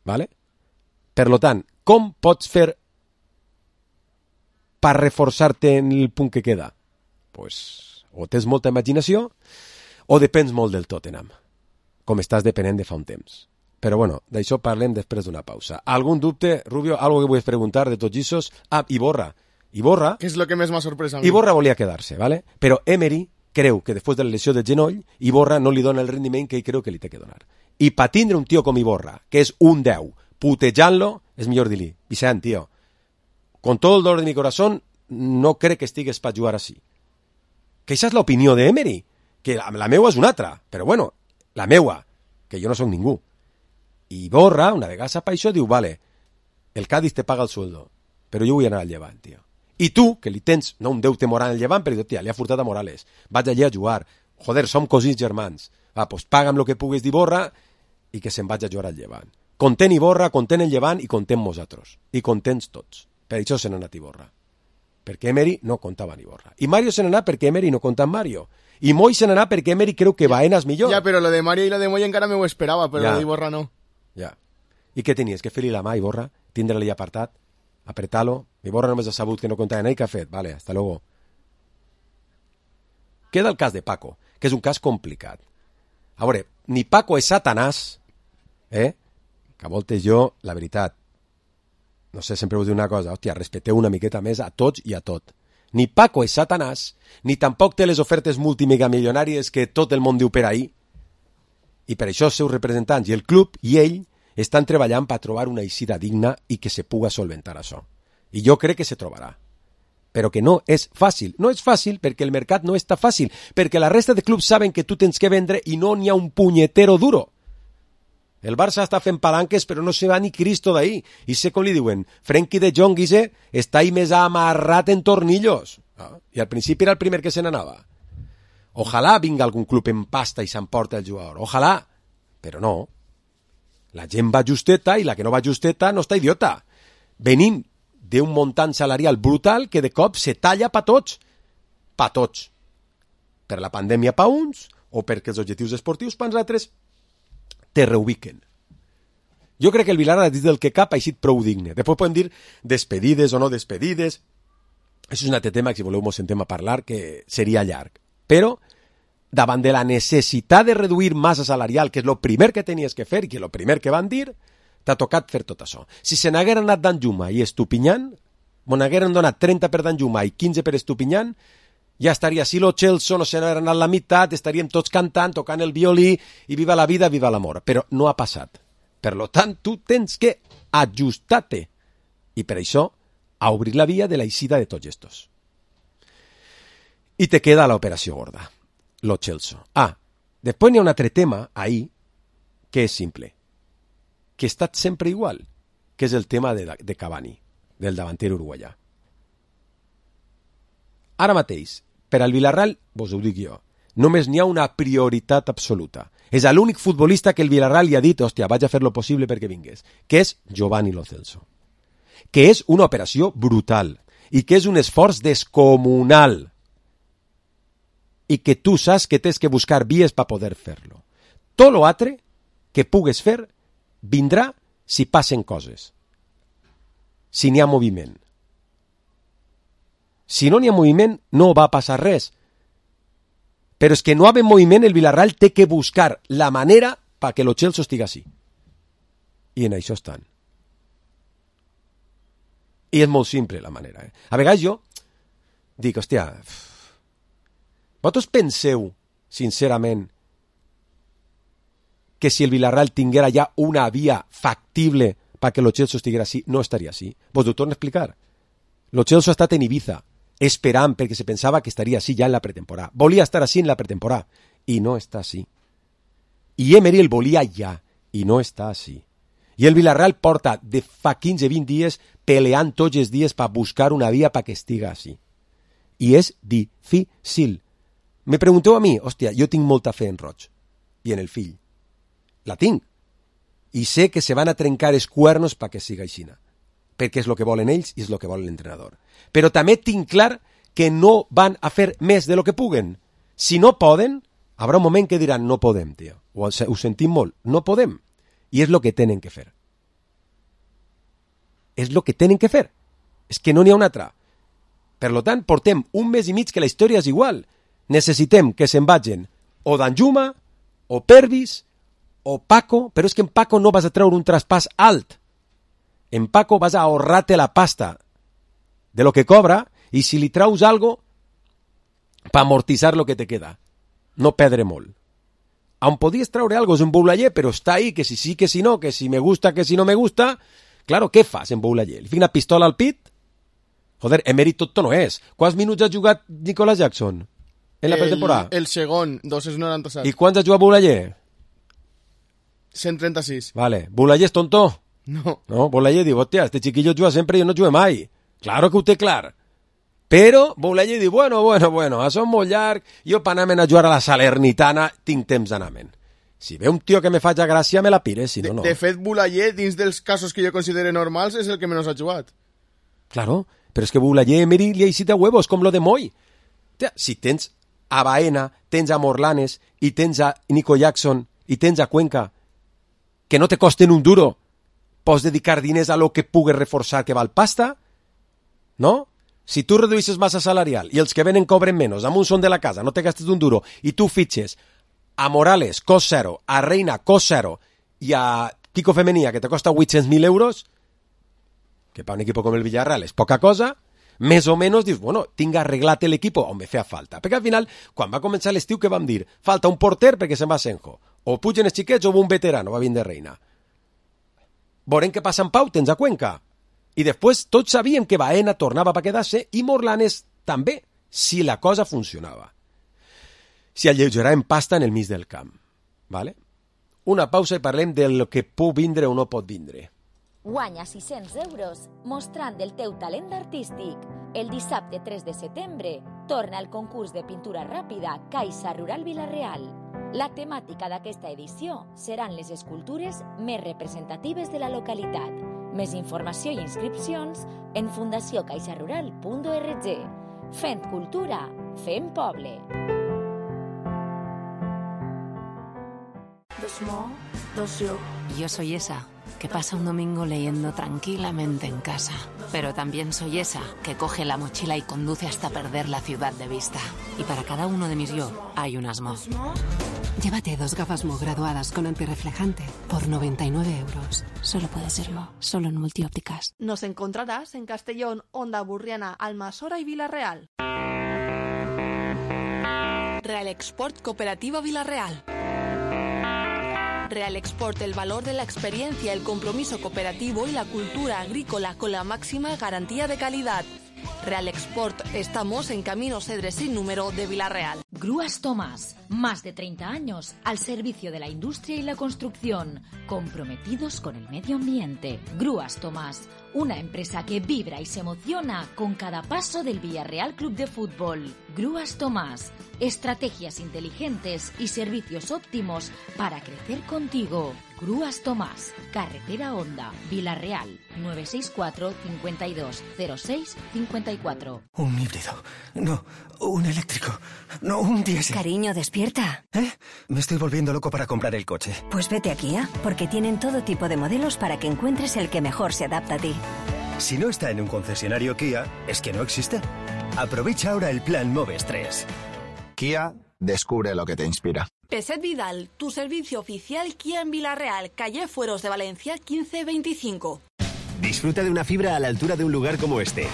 Vale? Per lo tant, com pots fer per reforçar-te en el punt que queda? Pues, o tens molta imaginació o depens molt del Tottenham, com estàs depenent de fa un temps. Però bueno, d'això parlem després d'una pausa. ¿Algún dubte, Rubio? ¿Algo que puedes preguntar de tots esos? Ah, Iborra. Iborra... ¿Qué es lo que més m'ha sorprès a mi? Iborra volia quedar-se, ¿vale? Però Emery creu que després de la lesió de genoll, Iborra no li dona el rendiment que ell creu que li té que donar. I per tindre un tio com Iborra, que és un deu, putejant-lo, és millor dir-li, Vicent, tio, con todo el dolor de mi corazón, no crec que estigues per jugar així. Que això és l'opinió d'Emery, que la, la meua és una altra, però bueno, la meua, que jo no soc ningú. I Iborra, una vegada sap això, diu, vale, el Cádiz te paga el sueldo, però jo vull anar al Llevant, tio. I tu, que li tens, no un deute moral al Llevant, però tia, li ha furtat a Morales, vaig allà a jugar, joder, som cosins germans, va, pues paga'm lo que puguis d'Iborra i que se'n vaig a jugar al Llevant. Content Iborra, content el Llevant i content nosaltres, i contents tots. Per això se n'ha anat Iborra, perquè Emery no comptava en Iborra. I Mario se n'ha anat perquè Emery no compta en Mario. I Moi se n'ha anat perquè Emery creu que Baena és millor. Ja, però lo de Mario i lo de Moi encara me ho esperava, però ja. lo d'Iborra no. Ja. I què tenies? Que fer-li la mà i borra? Tindre-li apartat? Apretar-lo? I borra només ha sabut que no comptava ell, què ha fet? Vale, hasta luego. Queda el cas de Paco, que és un cas complicat. A veure, ni Paco és Satanàs, eh? Que a voltes jo, la veritat, no sé, sempre us dic una cosa, hòstia, respecteu una miqueta més a tots i a tot. Ni Paco és Satanàs, ni tampoc té les ofertes multimegamilionàries que tot el món diu per ahir. I per això els seus representants i el club i ell estan treballant per trobar una eixida digna i que se puga solventar això. I jo crec que se trobarà. Però que no és fàcil. No és fàcil perquè el mercat no està fàcil, perquè la resta de clubs saben que tu tens que vendre i no n'hi ha un punyetero duro. El Barça està fent palanques però no se va ni Cristo d'ahí. I sé com li diuen, Frenkie de Jong, Guise, està ahí més amarrat en tornillos. Ah, I al principi era el primer que se n'anava. Ojalà vinga algun club en pasta i s'emporta el jugador. Ojalà. Però no. La gent va justeta i la que no va justeta no està idiota. Venim d'un muntant salarial brutal que de cop se talla pa tots. Pa tots. Per la pandèmia pa uns o perquè els objectius esportius pa uns altres te reubiquen. Jo crec que el Villarreal dins del que cap ha eixit prou digne. Després podem dir despedides o no despedides. Això és un altre tema que si voleu mos sentem a parlar que seria llarg. Però davant de la necessitat de reduir massa salarial, que és el primer que tenies que fer i que és el primer que van dir, t'ha tocat fer tot això. Si se n'hagueren anat Danjuma i Estupinyán, me n'hagueren donat trenta per Danjuma i quinze per Estupinyán, ja estaria, si lo Chelsea no se n'hagueren anat la meitat, estaríem tots cantant, tocant el violí i viva la vida, viva l'amor. Però no ha passat. Per lo tant, tu tens que ajustar-te. I per això, a obrir la via de la eixida de tots estos. I te queda l'operació gorda, lo Chelsea. Ah, després n'hi ha un altre tema ahí que és simple, que ha estat sempre igual, que és el tema de, de Cavani, del davanter uruguaià. Ara mateix, per al Villarreal, vos ho dic jo, només n'hi ha una prioritat absoluta. És l'únic futbolista que el Villarreal li ha dit, hòstia, vaig a fer lo possible perquè vingués, que és Giovanni Lo Celso. Que és una operació brutal i que és un esforç descomunal i que tu saps que tens que buscar vies per poder fer-lo. Tot lo altre que pugues fer vindrà si passen coses, si n'hi ha moviment. Si no n'hi ha moviment, no va passar res. Però és que no havent moviment, el Villarreal té que buscar la manera perquè lo Chelsea estigui així. I en això estan. I és molt simple la manera. Eh? A vegades jo dic, hòstia, vosaltres penseu, sincerament, que si el Villarreal tinguera ja una via factible perquè lo Chelsea estiguera així, no estaria així? Vos ho torno a explicar. Lo Chelsea ha estat en Ibiza, esperant perquè se pensava que estaria així ja en la pretemporada. Volia estar així en la pretemporada i no està així. I Emery el volia ja i no està així. I el Villarreal porta de fa quinze a vint dies peleant tots els dies per buscar una via perquè estigui així. I és difícil. Me pregunteu a mi, hòstia, jo tinc molta fe en Roig i en el fill. La tinc. I sé que se van a trencar els cuernos perquè siga aixina. Perquè és el que volen ells i és el que vol l'entrenador. Però també tinc clar que no van a fer més de lo que puguen. Si no poden, haurà un moment que diran no podem, tio. Ho, ho sentim molt, no podem. I és el que tenen que fer. És el que tenen que fer. És que no n'hi ha una altra. Per tant, portem un mes i mig que la història és igual. Necessitem que se'n vagin o Danjuma, o Pervis, o Paco, però és que en Paco no vas a treure un traspàs alt. En Paco vas a ahorrar-te la pasta de lo que cobra i si li traus algo per amortitzar lo que te queda. No perdre molt. On podies traure algo és en Boulaye, però està ahí, que si sí, que si no, que si me gusta, que si no me gusta. Claro, què fas en Boulaye? Li fic una pistola al pit? Joder, Emery tot no és. Quants minuts ha jugat Nicolas Jackson en la pretemporada? El, el segon, dos cents noranta-set. I quants ha jugat Boulaye? cent trenta-sis. Vale. Boulaye és tonto? No. No, Boulaye diu, hòstia, este chiquillo juga sempre i jo no jugué mai. Claro que ho té clar. Però Boulaye diu, bueno, bueno, bueno, això és molt llarg, jo per anar a jugar a la Salernitana tinc temps d'anar-me'n. Si ve un tio que me faig a gràcia, me la pires, si no, no. De, de fet, Boulaye, dins dels casos que jo considero normals, és el que menys ha jugat. Claro, però és que Boulaye Emery li ha eixit a huevos, com lo de Moy. Tia, si tens a Baena, tens a Morlanes, i tens a Nico Jackson, i tens a Cuenca, que no te costen un duro, pots dedicar diners a lo que pugui reforçar que val pasta, no? Si tu reduïsses massa salarial i els que venen cobren menys, amb un son de la casa, no te gastes un duro, i tu fitxes a Morales, cost zero, a Reina, cost zero, i a Kiko Femenía, que te costa vuit-cents mil euros, que per un equip com el Villarreal és poca cosa, més o menys dius, bueno, tinc arreglat l'equip on me feia falta. Perquè al final, quan va començar l'estiu, què vam dir? Falta un porter perquè se'n va Senjo. O pugen els xiquets o un veterano, va vindre Reina. Veurem què passa en Pau, tens a Cuenca. I després tots sabíem que Baena tornava per quedar-se i Morlanes també, si la cosa funcionava. Si alleugeràvem pasta en el mig del camp. ¿Vale? Una pausa i parlem del que pot vindre o no pot vindre. Guanya sis-cents euros mostrant el teu talent artístic. El dissabte tres de setembre torna el concurs de pintura ràpida Caixa Rural Vila-real. La temàtica d'aquesta edició seran les escultures més representatives de la localitat. Més informació i inscripcions en fundació caixa rural punt org. Fent cultura, fem poble. Yo soy esa que pasa un domingo leyendo tranquilamente en casa. Pero también soy esa que coge la mochila y conduce hasta perder la ciudad de vista. Y para cada uno de mis yo hay un asmo. Llévate dos gafas Mo graduadas con antirreflejante por noventa y nueve euros. Solo puede ser Mo, solo en Multiópticas. Nos encontrarás en Castellón, Onda Burriana, Almasora y Vila-real. Real Export Cooperativa Vila-real. Real Export, el valor de la experiencia, el compromiso cooperativo y la cultura agrícola con la máxima garantía de calidad. Real Export, estamos en Camino Cedres sin número de Vila-real. Grúas Tomás, más de treinta años al servicio de la industria y la construcción, comprometidos con el medio ambiente. Grúas Tomás, una empresa que vibra y se emociona con cada paso del Villarreal Club de Fútbol. Grúas Tomás, estrategias inteligentes y servicios óptimos para crecer contigo. Grúas Tomás, Carretera Honda, Vila-real, nueve seis cuatro, cincuenta y dos, cero seis, cincuenta y cuatro. Un híbrido. No, un eléctrico. No, un diésel. Cariño, despierta. ¿Eh? Me estoy volviendo loco para comprar el coche. Pues vete a Kia, porque tienen todo tipo de modelos para que encuentres el que mejor se adapta a ti. Si no está en un concesionario Kia, es que no existe. Aprovecha ahora el plan Moves tres. Kia, descubre lo que te inspira. Peset Vidal, tu servicio oficial Kia en Vila-real, calle Fueros de Valencia quince veinticinco. Disfruta de una fibra a la altura de un lugar como este.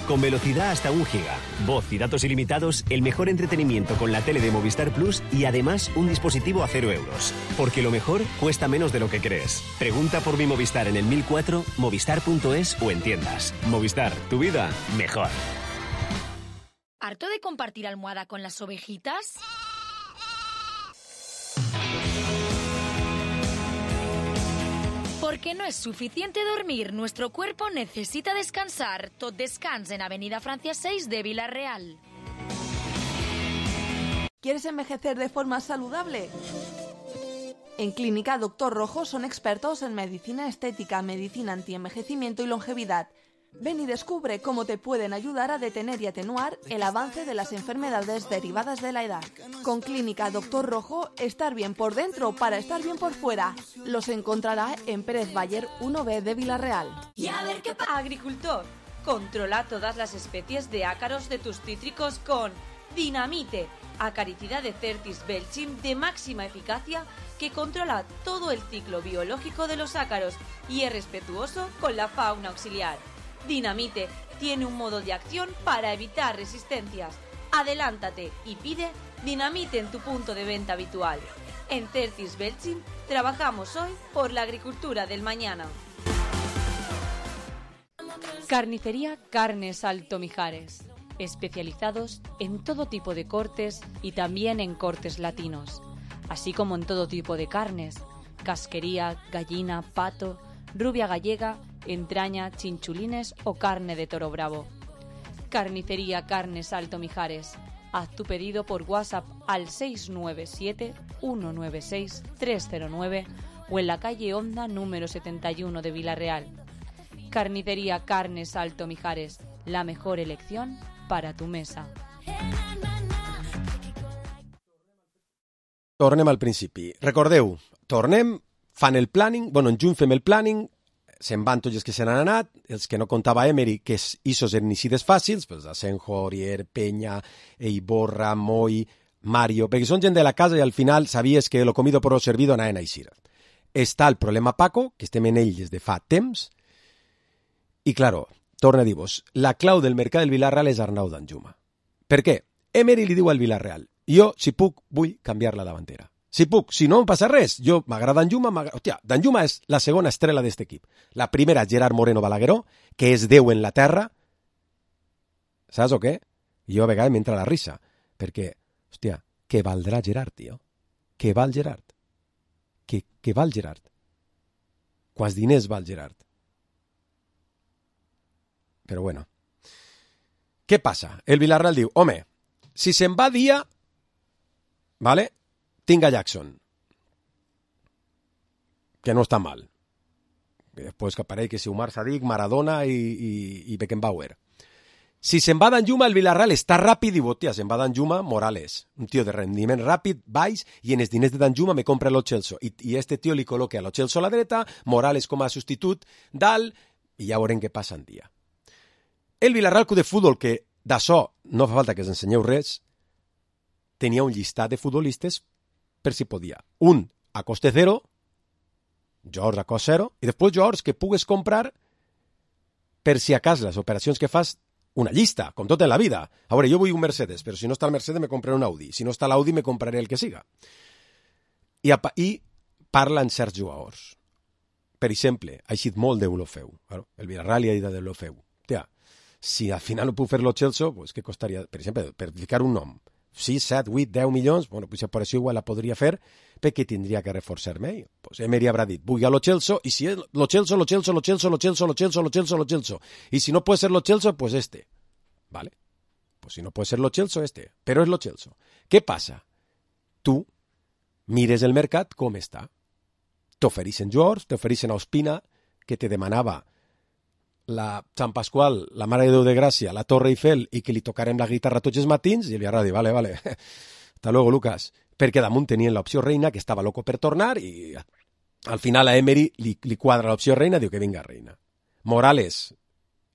Con velocidad hasta un giga, voz y datos ilimitados, el mejor entretenimiento con la tele de Movistar Plus y además un dispositivo a cero euros. Porque lo mejor cuesta menos de lo que crees. Pregunta por mi Movistar en el mil cuatro, movistar punto es o en tiendas. Movistar, tu vida mejor. ¿Harto de compartir almohada con las ovejitas? Porque no es suficiente dormir, nuestro cuerpo necesita descansar. Tot Descans en Avenida Francia seis de Vila-real. ¿Quieres envejecer de forma saludable? En Clínica Doctor Rojo son expertos en medicina estética, medicina antienvejecimiento y longevidad. Ven y descubre cómo te pueden ayudar a detener y atenuar el avance de las enfermedades derivadas de la edad. Con Clínica Doctor Rojo, estar bien por dentro para estar bien por fuera. Los encontrará en Pérez Bayer uno B de Vila-real. Y a ver qué pasa. Agricultor, controla todas las especies de ácaros de tus cítricos con Dinamite, acaricida de Certis Belchim de máxima eficacia que controla todo el ciclo biológico de los ácaros y es respetuoso con la fauna auxiliar. Dinamite tiene un modo de acción para evitar resistencias. Adelántate y pide Dinamite en tu punto de venta habitual. En Certis Belchim trabajamos hoy por la agricultura del mañana. Carnicería Carnes Alto Mijares, especializados en todo tipo de cortes y también en cortes latinos, así como en todo tipo de carnes, casquería, gallina, pato, rubia gallega, entraña, chinchulines o carne de toro bravo. Carnicería Carnes Alto Mijares. Haz tu pedido por WhatsApp al seis nueve siete, uno nueve seis, tres cero nueve o en la calle Honda número setenta y uno de Vila-real. Carnicería Carnes Alto Mijares, la mejor elección para tu mesa. Tornem al principi. Recordeu, tornem, fan el planning, bueno, en juny fem el planning, se'n van tots els que se n'han anat, els que no comptava Emery, que issos eren eixides fàcils, pues Asenjo, Aurier, Peña, Eiborra, Moi, Mario, perquè són gent de la casa i al final sabies que lo comido por lo servido anaven a eixir. Està el problema Paco, que estem en ell des de fa temps, i claro, torna a dir-vos, la clau del mercat del Villarreal és Arnau Danjuma. Per què? Emery li diu al Villarreal, jo, si puc, vull canviar la davantera. Si puc, si no em passa res, jo m'agrada Danjuma, hòstia, Danjuma és la segona estrella d'aquest equip. La primera, Gerard Moreno Balagueró, que és Déu en la terra. Saps o què? Jo a vegades m'entra la risa, perquè, hòstia, què valdrà Gerard, tio? Què val Gerard? Què, què val Gerard? Quants diners val Gerard? Però bueno. Què passa? El Villarreal diu, home, si se'n va dia, vale, tinc a Jackson, que no està mal. Després que apareix que si Umar Sadik, Maradona i, i, i Beckenbauer. Si se'n va Danjuma, el Villarreal està ràpid i botia, se'n va Danjuma, Morales, un tio de rendiment ràpid, baix, i en els diners de Danjuma me compra Lo Celso. I, i este tio li col·loca Lo Celso a la dreta, Morales com a substitut dalt, i ja veurem què passa en dia. El Villarreal Club de Futbol, que d'això no fa falta que us ensenyeu res, tenia un llistat de futbolistes per si podia. Un a coste zero, jugadors a cost zero, i després jugadors que pugues comprar per si a cas les operacions que fas, una llista, com tot en la vida. A veure, jo vull un Mercedes, però si no està el Mercedes me compraré un Audi. Si no està l'Audi me compraré el que siga. I, i parla en certs jugadors. Per exemple, ha eixit molt d'Eulofeu. El Villarreal li ha dit d'Eulofeu. Tia, si al final no puc fer Lo Celso, pues, què costaria? Per exemple, per ficar un nom. sis, set, vuit, deu milions, bueno, pues per això igual la podria fer, perquè tindria que reforçar-me. Pues Emery haurà dit, vull a Lo Celso, i si és Lo Celso, Lo Celso, Lo Celso, Lo Celso, Lo Celso, Lo Celso, Lo Celso. Y si no puede ser Lo Celso, pues este. ¿Vale? Pues si no puede ser Lo Celso, este. Pero es Lo Celso. ¿Qué pasa? Tu mires el mercat com està. T'ofereixen jugadors, t'ofereixen a Ospina, que te demanava la Sant Pasqual, la Mare de Déu de Gràcia, la Torre Eiffel, i que li tocarem la guitarra tots els matins, i el Villarreal diu, vale, vale, hasta luego, Lucas. Perquè damunt tenien l'opció Reina, que estava loco per tornar, i al final a Emery li, li quadra l'opció Reina, diu que vinga Reina. Morales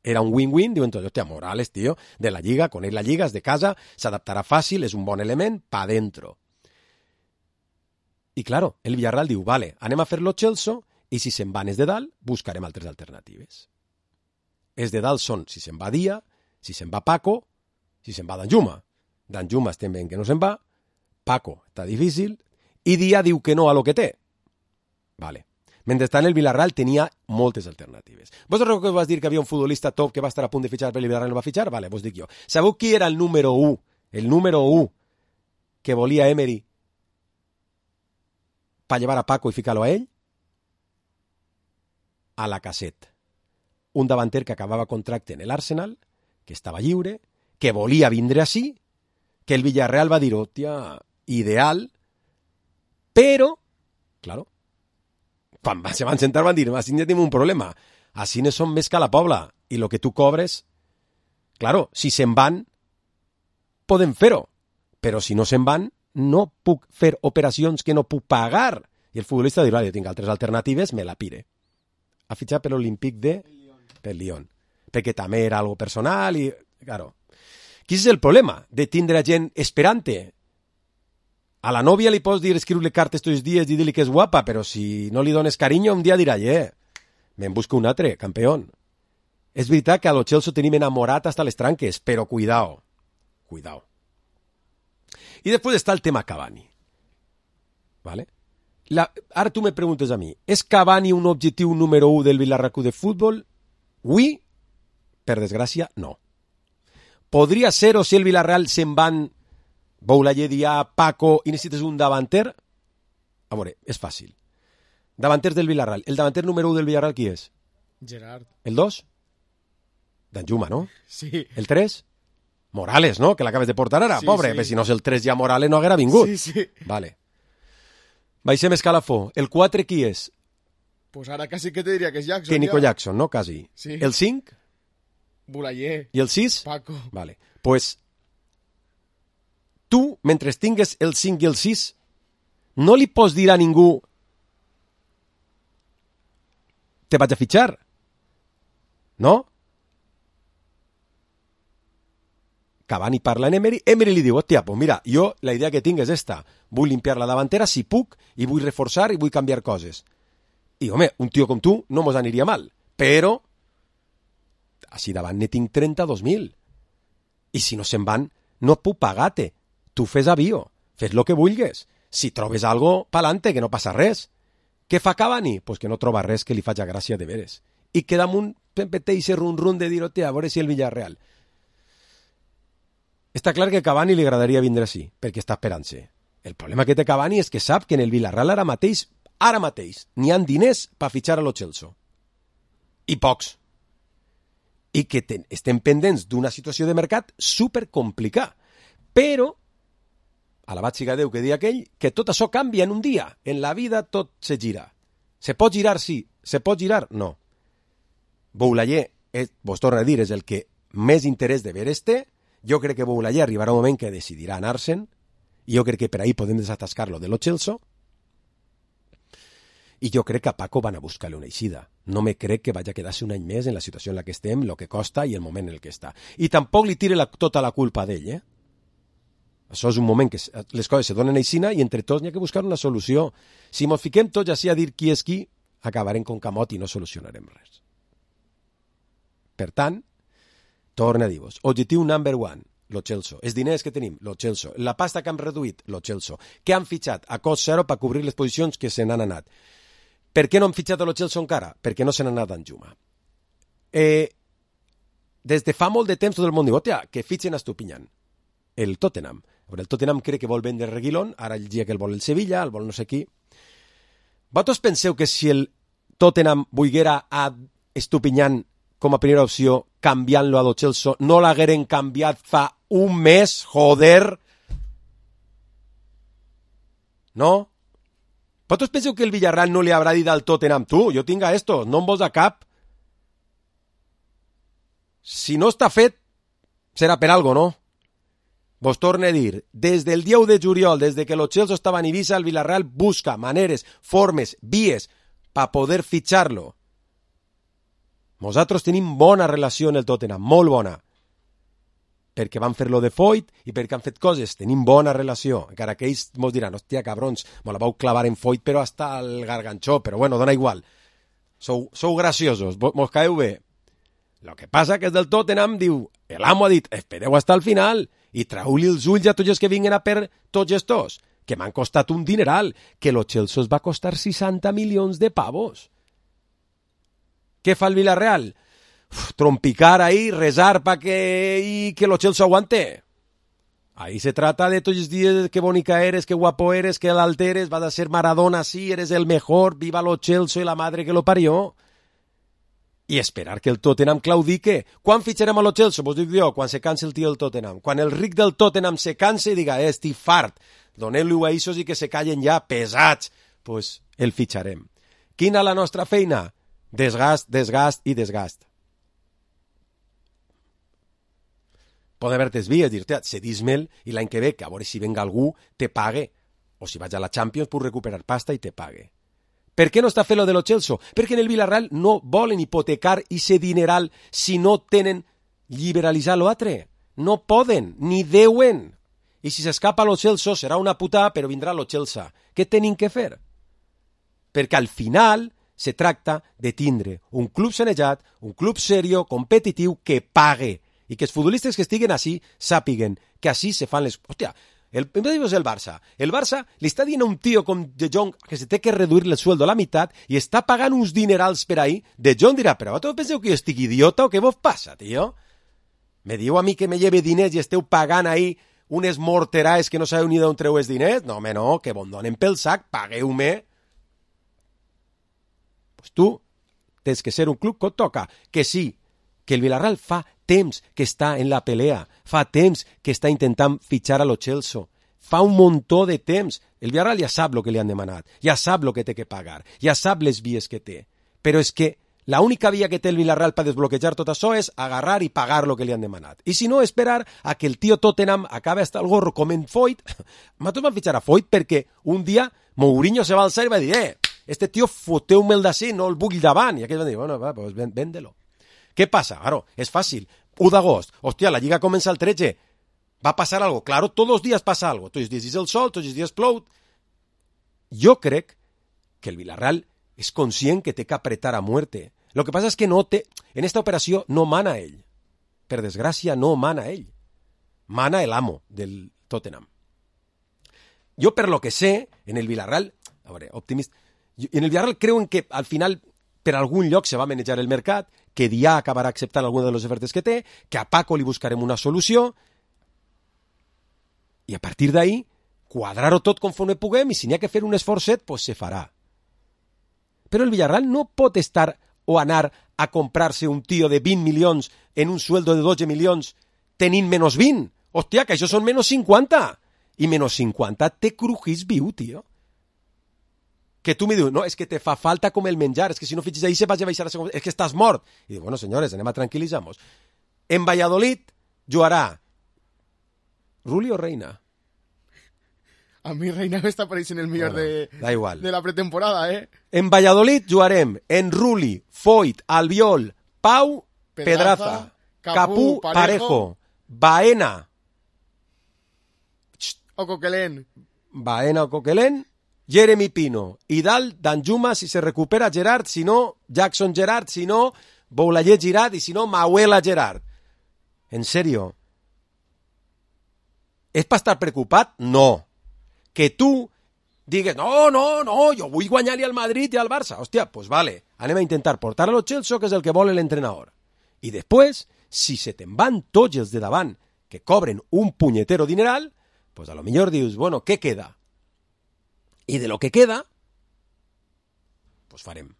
era un win-win, diu entonces, hòstia, Morales, tío, de la Lliga, coneix la Lliga, és de casa, s'adaptarà fàcil, és un bon element, pa dentro. I claro, el Villarreal diu, vale, anem a fer Lo Celso, i si se'n van és de dalt, buscarem altres alternatives. Els de dalt són si se'n va Dia, si se'n va Paco, si se'n va Danjuma. Danjuma estem veient que no se'n va, Paco està difícil, i Dia diu que no a lo que té. Vale. Mentrestant el Villarreal tenia moltes alternatives. Vos recordeu que vas dir que havia un futbolista top que va estar a punt de fitxar per el Villarreal no va fitxar? Vale, vos dic jo. Sabeu qui era el número u? El número u que volia Emery per llevar a Paco i ficar-lo a ell? A Lacazette. Un davanter que acabava contracte en l'Arsenal, que estava lliure, que volia vindre així, que el Villarreal va dir, hòstia, ideal, però, claro, quan se van sentar van dir, així ja tenim un problema, així no som més que a la Pobla, i el que tu cobres, claro, si se'n van, podem fer-ho, però si no se'n van, no puc fer operacions que no puc pagar. I el futbolista dirà, jo tinc altres alternatives, me la pire. Ha fitxat per l'Olímpic de... per Lyon, perquè també era algo personal i, claro, quin és el problema de tindre gent esperante? A la nòvia li pots dir escriure cartes tots els dies i dir-li que és guapa, però si no li dones carinyo, un dia dirà, eh, me'n busco un altre, campeón. És veritat que a Lo Celso tenim enamorat hasta les tranques, però cuidao, cuidao. I després està el tema Cavani. ¿Vale? La, ara tu me preguntes a mi, és Cavani un objectiu número u del Villarreal Club de Futbol? Avui, per desgràcia, no. Podria ser-ho si el Villarreal se'n van Boulaye, Dia, Paco i necessites un davanter? A veure, és fàcil. Davanters del Villarreal. El davanter número u del Villarreal qui és? Gerard. El dos? Danjuma, no? Sí. El tres? Morales, no? Que l'acabes de portar ara, sí, pobre. Sí. Però si no és el tres ja Morales no haguera vingut. Sí, sí. Vale. Baixem escalafó. El quatre qui és? Pues ara quasi que te diria que és Jackson. Que Nico ja. Jackson, no? Quasi. Sí. El cinc? Boulaye. I el sis? Paco. Vale. Pues tu, mentre tingues el cinc i el sis, no li pots dir a ningú te vaig a fitxar. No? Cavani parla en Emery, Emery li diu, hòstia, pues mira, jo la idea que tinc és esta, vull limpiar la davantera si puc, i vull reforçar i vull canviar coses. I, home, un tio com tu no mos aniria mal, però així davant ne tinc trenta-dos mil. I si no se'n van, no puc pagar-te. Tu fes avió, fes lo que vulgues. Si trobes algo, pa'lante, que no passa res. Què fa Cavani? Pues que no troba res que li faci gràcia de veres. I queda amb un pempeteixe run-run de dir, hòstia, a veure si el Villarreal. Està clar que a Cavani li agradaria vindre així, perquè està esperant-se. El problema que té Cavani és que sap que en el Villarreal ara mateix, ara mateix, n'hi ha diners per fitxar a lo Chelsea. I pocs. I que ten, estem pendents d'una situació de mercat supercomplicada. Però, alabat siga Déu que dia aquell, que tot això canvia en un dia. En la vida tot se gira. Se pot girar, sí. Se pot girar, no. Boulaye, és, vos torno a dir, és el que més interès de veres té. Jo crec que Boulaye arribarà un moment que decidirà anar-se'n. I jo crec que per ahí podem desatascar-lo de lo Chelsea. I jo crec que a Paco van a buscar-li una eixida. No me crec que vagi a quedar-se un any més en la situació en la que estem, el que costa i el moment en el que està. I tampoc li tire la, tota la culpa d'ell, eh? Això és un moment que les coses se donen aixina i entre tots n'hi ha que buscar una solució. Si mos fiquem tots així a dir qui és qui, acabarem con Camot i no solucionarem res. Per tant, torna a dir-vos, objectiu number one, lo Chelsea. Els diners que tenim, lo Chelsea. La pasta que hem reduït, lo Chelsea. Que han fitxat a cost zero per cobrir les posicions que se n'han anat. Per què no han fitxat a lo Chelsea encara? Perquè no se n'ha anat en Juma. Eh, des de fa molt de temps tot el món diu, hòstia, que fitxen a Estupiñán. El Tottenham. El Tottenham crec que vol vendre Reguilón, ara el dia que el vol el Sevilla, el vol no sé qui. Vosaltres penseu que si el Tottenham volguera a Estupiñán com a primera opció, canviant-lo a lo Chelsea, no l'hagueren canviat fa un mes, joder? No? Vosaltres penseu que el Villarreal no li haurà dit al Tottenham, tu, jo tinc a esto, no em vols a cap? Si no està fet, serà per algo, no? Vos torno a dir, des del dia u de juliol, des de que los Chelsea estaven a Ibiza, el Villarreal busca maneres, formes, vies, per poder fitxar-lo. Nosaltres tenim bona relació en el Tottenham, molt bona. Perquè van fer-lo de Foyt i perquè han fet coses, tenim bona relació. Encara que ells mos diran, hòstia, cabrons, me la vau clavar en Foyt, però hasta el garganxó, però bueno, dona igual. Sou, sou graciosos, mos caeu bé. Lo que passa que és del Tottenham, diu, l'amo ha dit, espereu hasta el final i trau-li els ulls a tots els que vinguen a per tots estos, que m'han costat un dineral, que lo Chelsea es va costar seixanta milions de pavos. Què fa el Villarreal? Uf, trompicar ahí, rezar para que y que lo Chelsea aguante. Ahí se trata de todos los días, qué bonita eres, qué guapo eres, qué alto eres, vas a ser Maradona, sí, eres el mejor, viva lo Chelsea y la madre que lo parió. I esperar que el Tottenham claudique. Quan fitxarem a lo Chelsea? Vos dic jo, quan se canse el tio del Tottenham. Quan el ric del Tottenham se canse i diga, eh, estic fart, doneu-li a eixos i que se callen ja, pesats, pues el fitxarem. Quina la nostra feina? Desgast, desgast i desgast. Poden haver desvies, dir-te, cedís-me'l i l'any que ve, que a veure si venga algú, te pague. O si vaig a la Champions, puc recuperar pasta i te pague. Per què no està fent lo de lo Chelsea? Perquè en el Villarreal no volen hipotecar ese dineral si no tenen liberalitzar l'altre. No poden, ni deuen. I si s'escapa lo Chelsea serà una putada, però vindrà lo Chelsea. Què tenim que fer? Perquè al final se tracta de tindre un club sanejat, un club serio, competitiu, que pague. I que els futbolistes que estiguen així sàpiguen que així se fan les... Hòstia, el, el Barça. El Barça li està dient a un tio com De Jong que se té que reduir el sueldo a la meitat i està pagant uns dinerals per ahí. De Jong dirà, però vosaltres penseu que jo estic idiota o què vos passa, tio? Me diu a mi que me lleve diners i esteu pagant ahí unes morteraes que no sabeu ni d'on treu els diners? No, home, no, que bon donen pel sac, pagueu-me. Pues tu tens que ser un club que et toca. Que sí, que el Villarreal fa temps que està en la pelea, fa temps que està intentant fitxar a lo Chelsea, fa un muntó de temps. El Villarreal ja sap el que li han demanat, ja sap el que té que pagar, ja sap les vies que té, però és que la única via que té el Villarreal per desbloquejar tot això és agarrar i pagar el que li han demanat. I si no, esperar a que el tio Tottenham acabe hasta el gorro com en Foyt. Nosaltres vam fitxar a Foyt perquè un dia Mourinho se va alçar i va dir, eh, este tio foteu-me'l d'ací, no el vull davant. I aquells van dir, bueno, va, pues véndelo. Què passa? Claro, és fàcil. u d'agost, hòstia, la Lliga comença el tretze. Va a pasar algo. Claro, todos los días pasa algo. Tots els dies és el sol, tots els dies plou. Jo crec que el Villarreal és conscient que té que apretar a muerte. Lo que pasa es que no té... En esta operació no mana ell. Per desgràcia, no mana ell. Mana el amo del Tottenham. Jo, per lo que sé, en el Villarreal... A veure, optimista... En el Villarreal creuen que al final per algun lloc se va manejar el mercat, que Dià acabarà acceptant alguna de les ofertes que té, que a Paco li buscarem una solució i a partir d'ahí quadrar-ho tot conforme puguem i si n'hi ha que fer un esforçet, pues se farà. Però el Villarreal no pot estar o anar a comprar-se un tio de vint milions en un sueldo de dotze milions tenint menys vint. Hòstia, que això són menys cinquanta. I menys cinquanta te crujís viu, tio. Que tu me dius, no, és que te fa falta com el menjar, és que si no fitxes ahí se vas a baixar a segona, és que estàs mort. I dic, bueno, senyores, anem a tranquil·litzar-nos. En Valladolid jugarà Rulli o Reina? A mi Reina m'està apareixent el millor bueno, de, da igual. de la pretemporada, eh? En Valladolid jugarem en Rulli, Foyt, Albiol, Pau, Pedraza, Capú, Parejo, Parejo, Baena. O Coquelén. Baena o Coquelén. Jeremy Pino, i dalt Danjuma si se recupera Gerard, si no Jackson Gerard, si no Boulaye Girard i si no Mauela Gerard. En serio, és per estar preocupat? No. Que tu digues, no, no, no, jo vull guanyar-li al Madrid i al Barça. Hòstia, pues vale, anem a intentar portar a los Chelsea, que és el que vol l'entrenador. I després, si se te'n van tots els de davant que cobren un punyetero dineral, pues a lo millor dius, bueno, què queda? I de lo que queda, pues farem.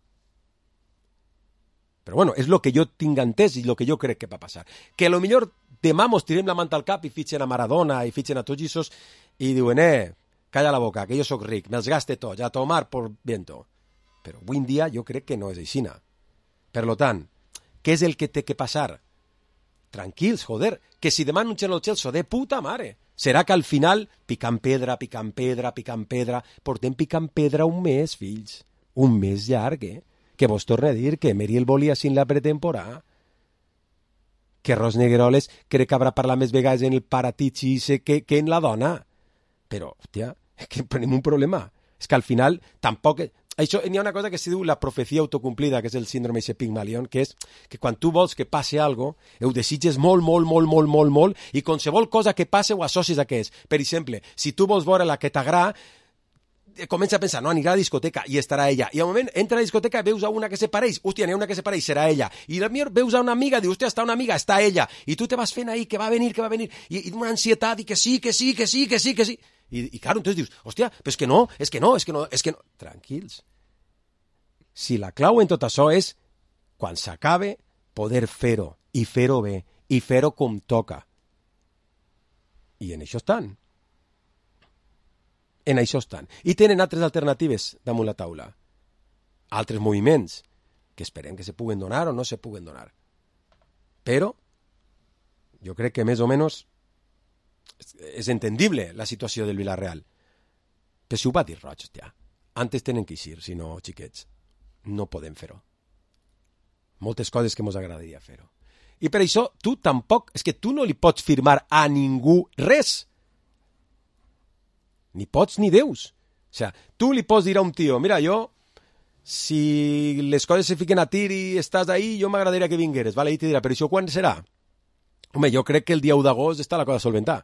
Però bueno, és lo que jo tinc entès i lo que jo crec que va passar. Que a lo millor demà mos tirem la manta al cap i fitxen a Maradona i fitxen a tots aquests i diuen, eh, calla la boca, que jo sóc ric, me'ls gaste tots, a tomar por viento. Però avui en dia jo crec que no és aixina. Per lo tant, què és el que té que passar? Tranquils, joder, que si demà anuncien el Chelsea de puta mare. Serà que al final, picant pedra, picant pedra, picant pedra, portem picant pedra un mes, fills. Un mes llarg, eh? Que vos torne a dir que Meriel volia sin la pretemporada. Que Ros Negueroles crec que haurà parlat més vegades en el paratitxi que, que en la dona. Però, hòstia, és que tenim un problema. És que al final tampoc... Això, n'hi ha una cosa que se diu la profecia autocomplida, que és el síndrome de Pigmalion, que és que quan tu vols que passi algo, ho desitges molt, molt, molt, molt, molt, molt, i qualsevol cosa que passe ho associs a què és. Per exemple, si tu vols veure la que t'agrada, comença a pensar, no, anirà a la discoteca i estarà ella. I al moment entra a la discoteca i veus a una que se pareix, hòstia, n'hi ha una que se pareix, serà ella. I al millor veus a una amiga, dius, hòstia, està una amiga, està ella. I tu te vas fent ahí, que va venir, que va venir, i, i una ansietat, i que sí, que sí, que sí, que sí, que sí. I, i claro, entonces dius, hòstia, però és que no, és que no, és que no, és que no. Tranquils. Si la clau en tot això és, quan s'acabe, poder fer-ho, i fer-ho bé, i fer-ho com toca. I en això estan. En això estan. I tenen altres alternatives damunt la taula. Altres moviments que esperem que se puguen donar o no se puguen donar. Però jo crec que més o menys és entendible la situació del Villarreal. Però si ho va dir Roig, hòstia, antes tenen que eixir, si no, xiquets, no podem fer-ho. Moltes coses que mos agradaria fer-ho. I per això tu tampoc, és que tu no li pots firmar a ningú res. Ni pots ni deus. O sea, tu li pots dir a un tio, mira, jo, si les coses se fiquen a tir i estàs ahí, jo m'agradaria que vingueres, vale? I te dirà, però això quan serà? Home, jo crec que el dia u d'agost està la cosa a solventar.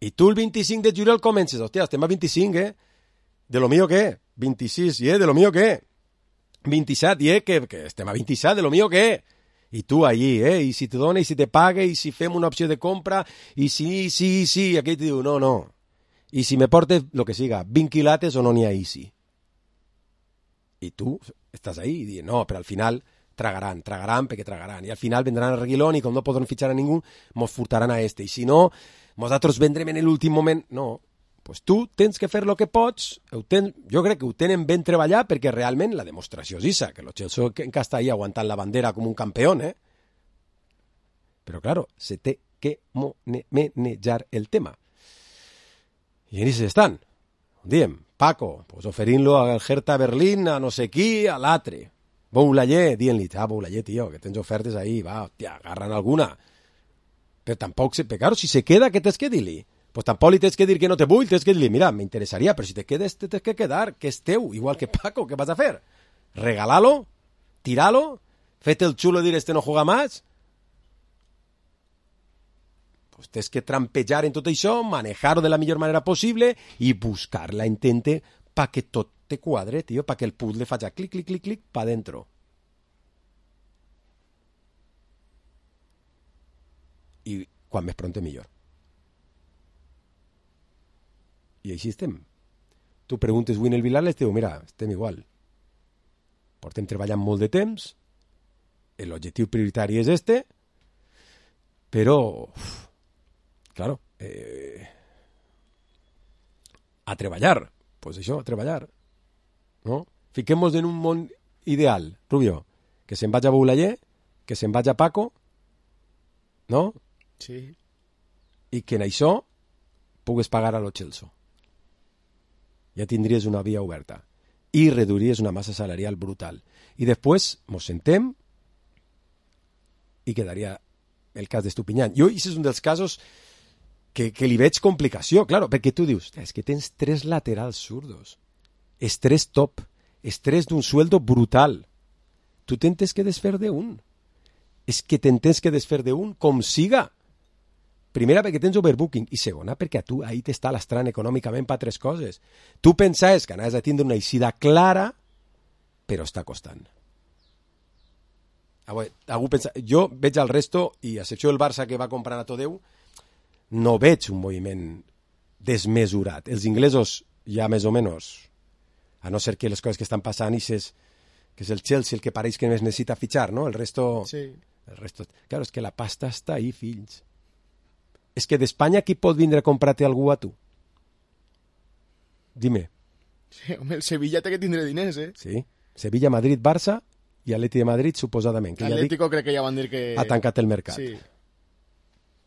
I tu el vint-i-cinc de juliol comences, hòstia, estem a vint-i-cinc, eh? De lo mío què? vint-i-sis, eh? De lo mío què? vint-i-set, eh? Que, que estem a vint-i-set, de lo mío què? I tu allí, eh? I si te dona, i si te paga, i si fem una opció de compra, i sí, sí, sí, aquell te diu, no, no. I si me portes, lo que siga, vint quilates o no n'hi ha easy. I tu estàs ahí i dius, no, però al final tragaran, tragaran perquè tragaran. I al final vendran a Reguilón i com no podran fitxar a ningú, mos furtaran a este. I si no, nosaltres vendrem en l'últim moment. No, pues tu tens que fer el que pots. Ho tens, jo crec que ho tenen ben treballat perquè realment la demostració és issa, que el Chelsea encara està ahí aguantant la bandera com un campió, eh? Però, claro, se té que manejar el tema. I en això estan. Diem, Paco, pues oferint-lo al Hertha Berlín, a no sé qui, a l'altre. Boulayer, dient-li, ah, Boulayer, tio, que tens ofertes ahí, va, hòstia, agarran alguna. Però tampoc, se, però claro, si se queda, què tens que dir-li? Pues tampoc li tens que dir que no te vull, tens que dir-li, mira, m'interessaria, però si te quedes, te tens que quedar, que és teu, igual que Paco, què vas a fer? Regalalo, tiralo, fete el xulo y dir, este no juega más. Pues tens que trampejar en tot això, manejar-ho de la millor manera possible i buscar la intente pa que tot te quadre, tio, pa que el puzzle faci clic, clic, clic, clic, pa dentro. I quan més pronte millor. I així estem. Tu preguntes avui en el Vilar, les diu, mira, estem igual. Portem treballant molt de temps, l'objectiu prioritari és este, però, uf, claro, eh, a treballar, pues això, a treballar, no? Fiquem-nos en un món ideal, Rubio, que se'n vaig a Boulayer, que se'n vaig a Paco, no? Sí. I que en això pugues pagar a lo Chelsea. Ja tindries una via oberta i reduiries una massa salarial brutal. I després mos sentem i quedaria el cas d'Estupinyán. Jo, això és un dels casos que, que li veig complicació, claro, perquè tu dius, és que tens tres laterals zurdos, és tres top, és tres d'un sueldo brutal. Tu tens que desfer d'un. És que tens que desfer d'un com siga. Primera, perquè tens overbooking, i segona, perquè a tu ahí t'està lastrant econòmicament per tres coses. Tu pensaves que anaves a tindre una eixida clara, però està costant. Algú pensa... Jo veig al resto, i a excepció del Barça que va comprar a Todeu, no veig un moviment desmesurat. Els inglesos ja més o menys, a no ser que les coses que estan passant, és, que és el Chelsea el que pareix que més necessita fitxar, no? El resto... Sí. El resto... Claro, és que la pasta està ahí, fills. És que d'Espanya qui pot vindre a comprar-te algú a tu? Dime. Sí, home, el Sevilla té que tindre diners, eh? Sí. Sevilla, Madrid, Barça i Atleti de Madrid, suposadament. L'Atlético ja crec que ja van dir que... Ha tancat el mercat. Sí.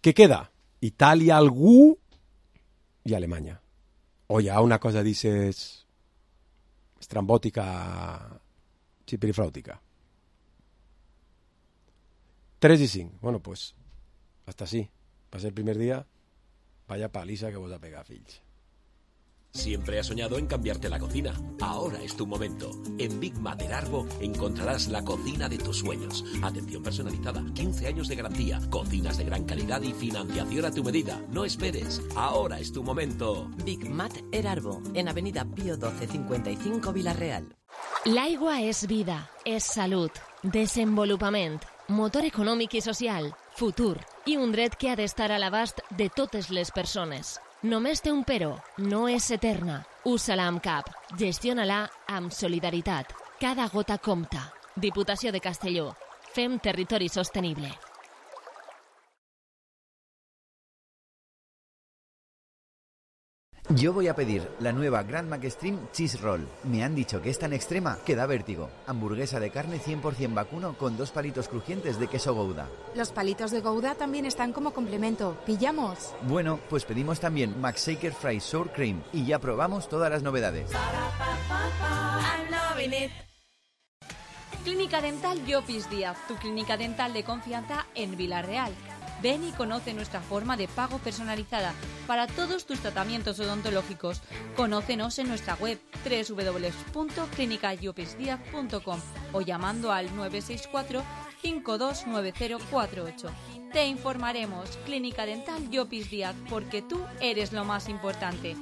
Què queda? Itàlia, algú i Alemanya. O hi ha una cosa, dices, estrambòtica, xipirifràutica. tres i cinc. Bueno, pues, hasta sí. Va a ser el primer día, vaya paliza que vos a pegar, fills. Siempre has soñado en cambiarte la cocina. Ahora es tu momento. En Big Mater Arbo encontrarás la cocina de tus sueños. Atención personalizada, quince años de garantía, cocinas de gran calidad y financiación a tu medida. No esperes, ahora es tu momento. Big Mater Arbo, en Avenida Pío doce cincuenta y cinco, Vila-real. L'aigua és vida, és salut, desenvolupament, motor econòmic i social, futur i un dret que ha d'estar a l'abast de totes les persones. Només té un però, no és eterna. Usa-la amb cap, gestiona-la amb solidaritat. Cada gota compta. Diputació de Castelló. Fem territori sostenible. Yo voy a pedir la nueva Grand Mac Extreme Cheese Roll. Me han dicho que es tan extrema que da vértigo. Hamburguesa de carne cien por ciento vacuno con dos palitos crujientes de queso Gouda. Los palitos de Gouda también están como complemento. ¿Pillamos? Bueno, pues pedimos también McShaker Fries Sour Cream y ya probamos todas las novedades. Clínica Dental Llopis Díaz, tu clínica dental de confianza en Vila-real. Ven y conoce nuestra forma de pago personalizada para todos tus tratamientos odontológicos. Conócenos en nuestra web doble u doble u doble u punto clínica llopis díaz punto com o llamando al nueve seis cuatro, cinco dos nueve cero cuatro ocho. Te informaremos. Clínica Dental Llopis Díaz, porque tú eres lo más importante.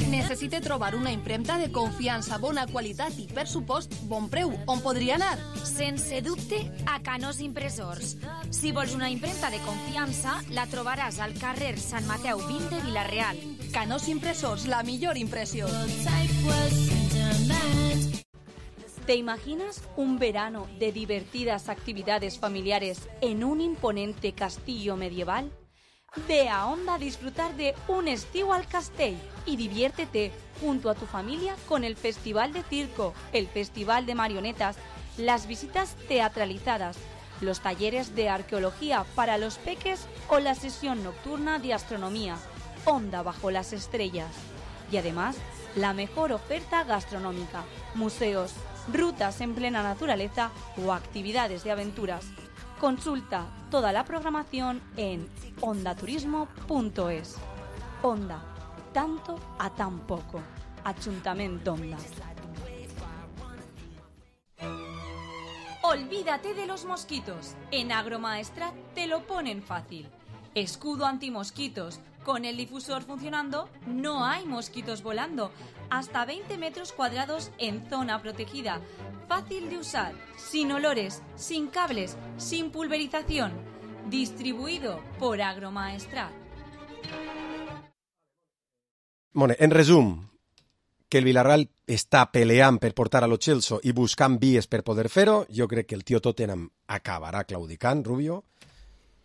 Necessite trobar una impremta de confiança, bona qualitat i, per supost, bon preu. On podria anar? Sense dubte, a Canós Impressors. Si vols una impremta de confiança, la trobaràs al carrer Sant Mateu vint de Vila-real. Canós Impressors, la millor impressió. ¿Te imaginas un verano de divertidas actividades familiares en un imponente castillo medieval? Ve a Onda a disfrutar de un estío al Castell y diviértete junto a tu familia con el Festival de Circo, el Festival de Marionetas, las visitas teatralizadas, los talleres de arqueología para los peques o la sesión nocturna de astronomía. Onda bajo las estrellas. Y además, la mejor oferta gastronómica, museos, rutas en plena naturaleza o actividades de aventuras. Consulta toda la programación en ondaturismo punto es. Onda, tanto a tan poco. Ayuntamiento Onda. Olvídate de los mosquitos. En Agromaestrat te lo ponen fácil. Escudo antimosquitos. Con el difusor funcionando, no hay mosquitos volando. Hasta veinte metros cuadrados en zona protegida. Fácil de usar, sin olores, sin cables, sin pulverización. Distribuido por Agromaestrat. Bueno, en resum, que el Villarreal està peleant per portar a lo Chelsea i buscant vies per poder fer-ho, jo crec que el tio Tottenham acabarà claudicant, Rubio.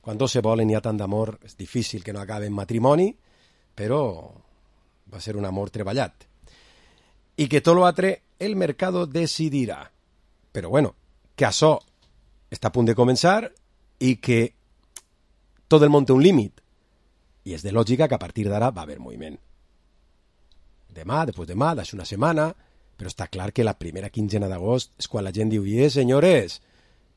Quan dos se volen hi ha tant d'amor, és difícil que no acabe en matrimoni, però va ser un amor treballat. I que tot l'altre, el mercado decidirà. Però bueno, que això està a punt de començar i que tot el món té un límit. I és de lògica que a partir d'ara va haver moviment. Demà, després demà, d'això una setmana, però està clar que la primera quinzena d'agost és quan la gent diu, eh, senyores,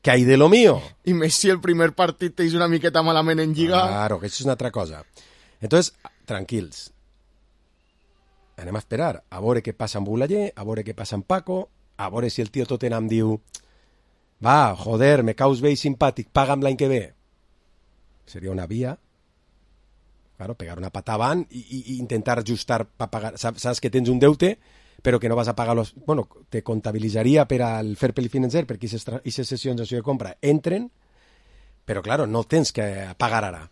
que hay de lo mío. I més si el primer partit t'eix una miqueta malament en Lliga. Claro, que això és una altra cosa. Entonces, tranquils. Anem a esperar a veure què passa amb Bulaller, a veure què passa amb Paco, a veure si el tio Tottenham diu va, joder, me caus bé i simpàtic, paga'm l'any que ve. Seria una via. Claro, pegar una pata avant i, i, i intentar ajustar para pagar. Saps, saps que tens un deute, però que no vas a pagar los... Bueno, te comptabilitzaria per al fair play financer, perquè aquestes sessions de compra entren, però, claro, no tens que pagar ara.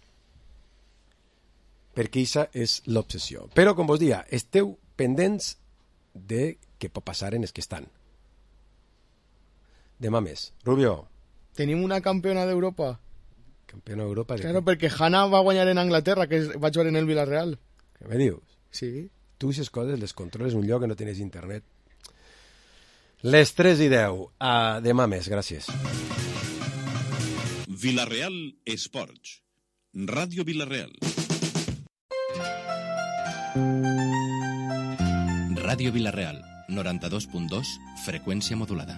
Perquè aquesta és l'obsessió. Però, com vos dia, esteu pendents de què pot passar en els que estan. Demà més. Rubio. Tenim una campiona d'Europa. Campiona d'Europa? Claro, perquè Hanna va guanyar en Anglaterra, que va jugar en el Villarreal. Què me dius? Sí. Tu aquestes coses les controles en un lloc que no tens internet. Les tres i deu. Uh, demà més, gràcies. Villarreal Esports. Ràdio Villarreal. Ràdio Villarreal, noranta-dos punt dos, freqüència modulada.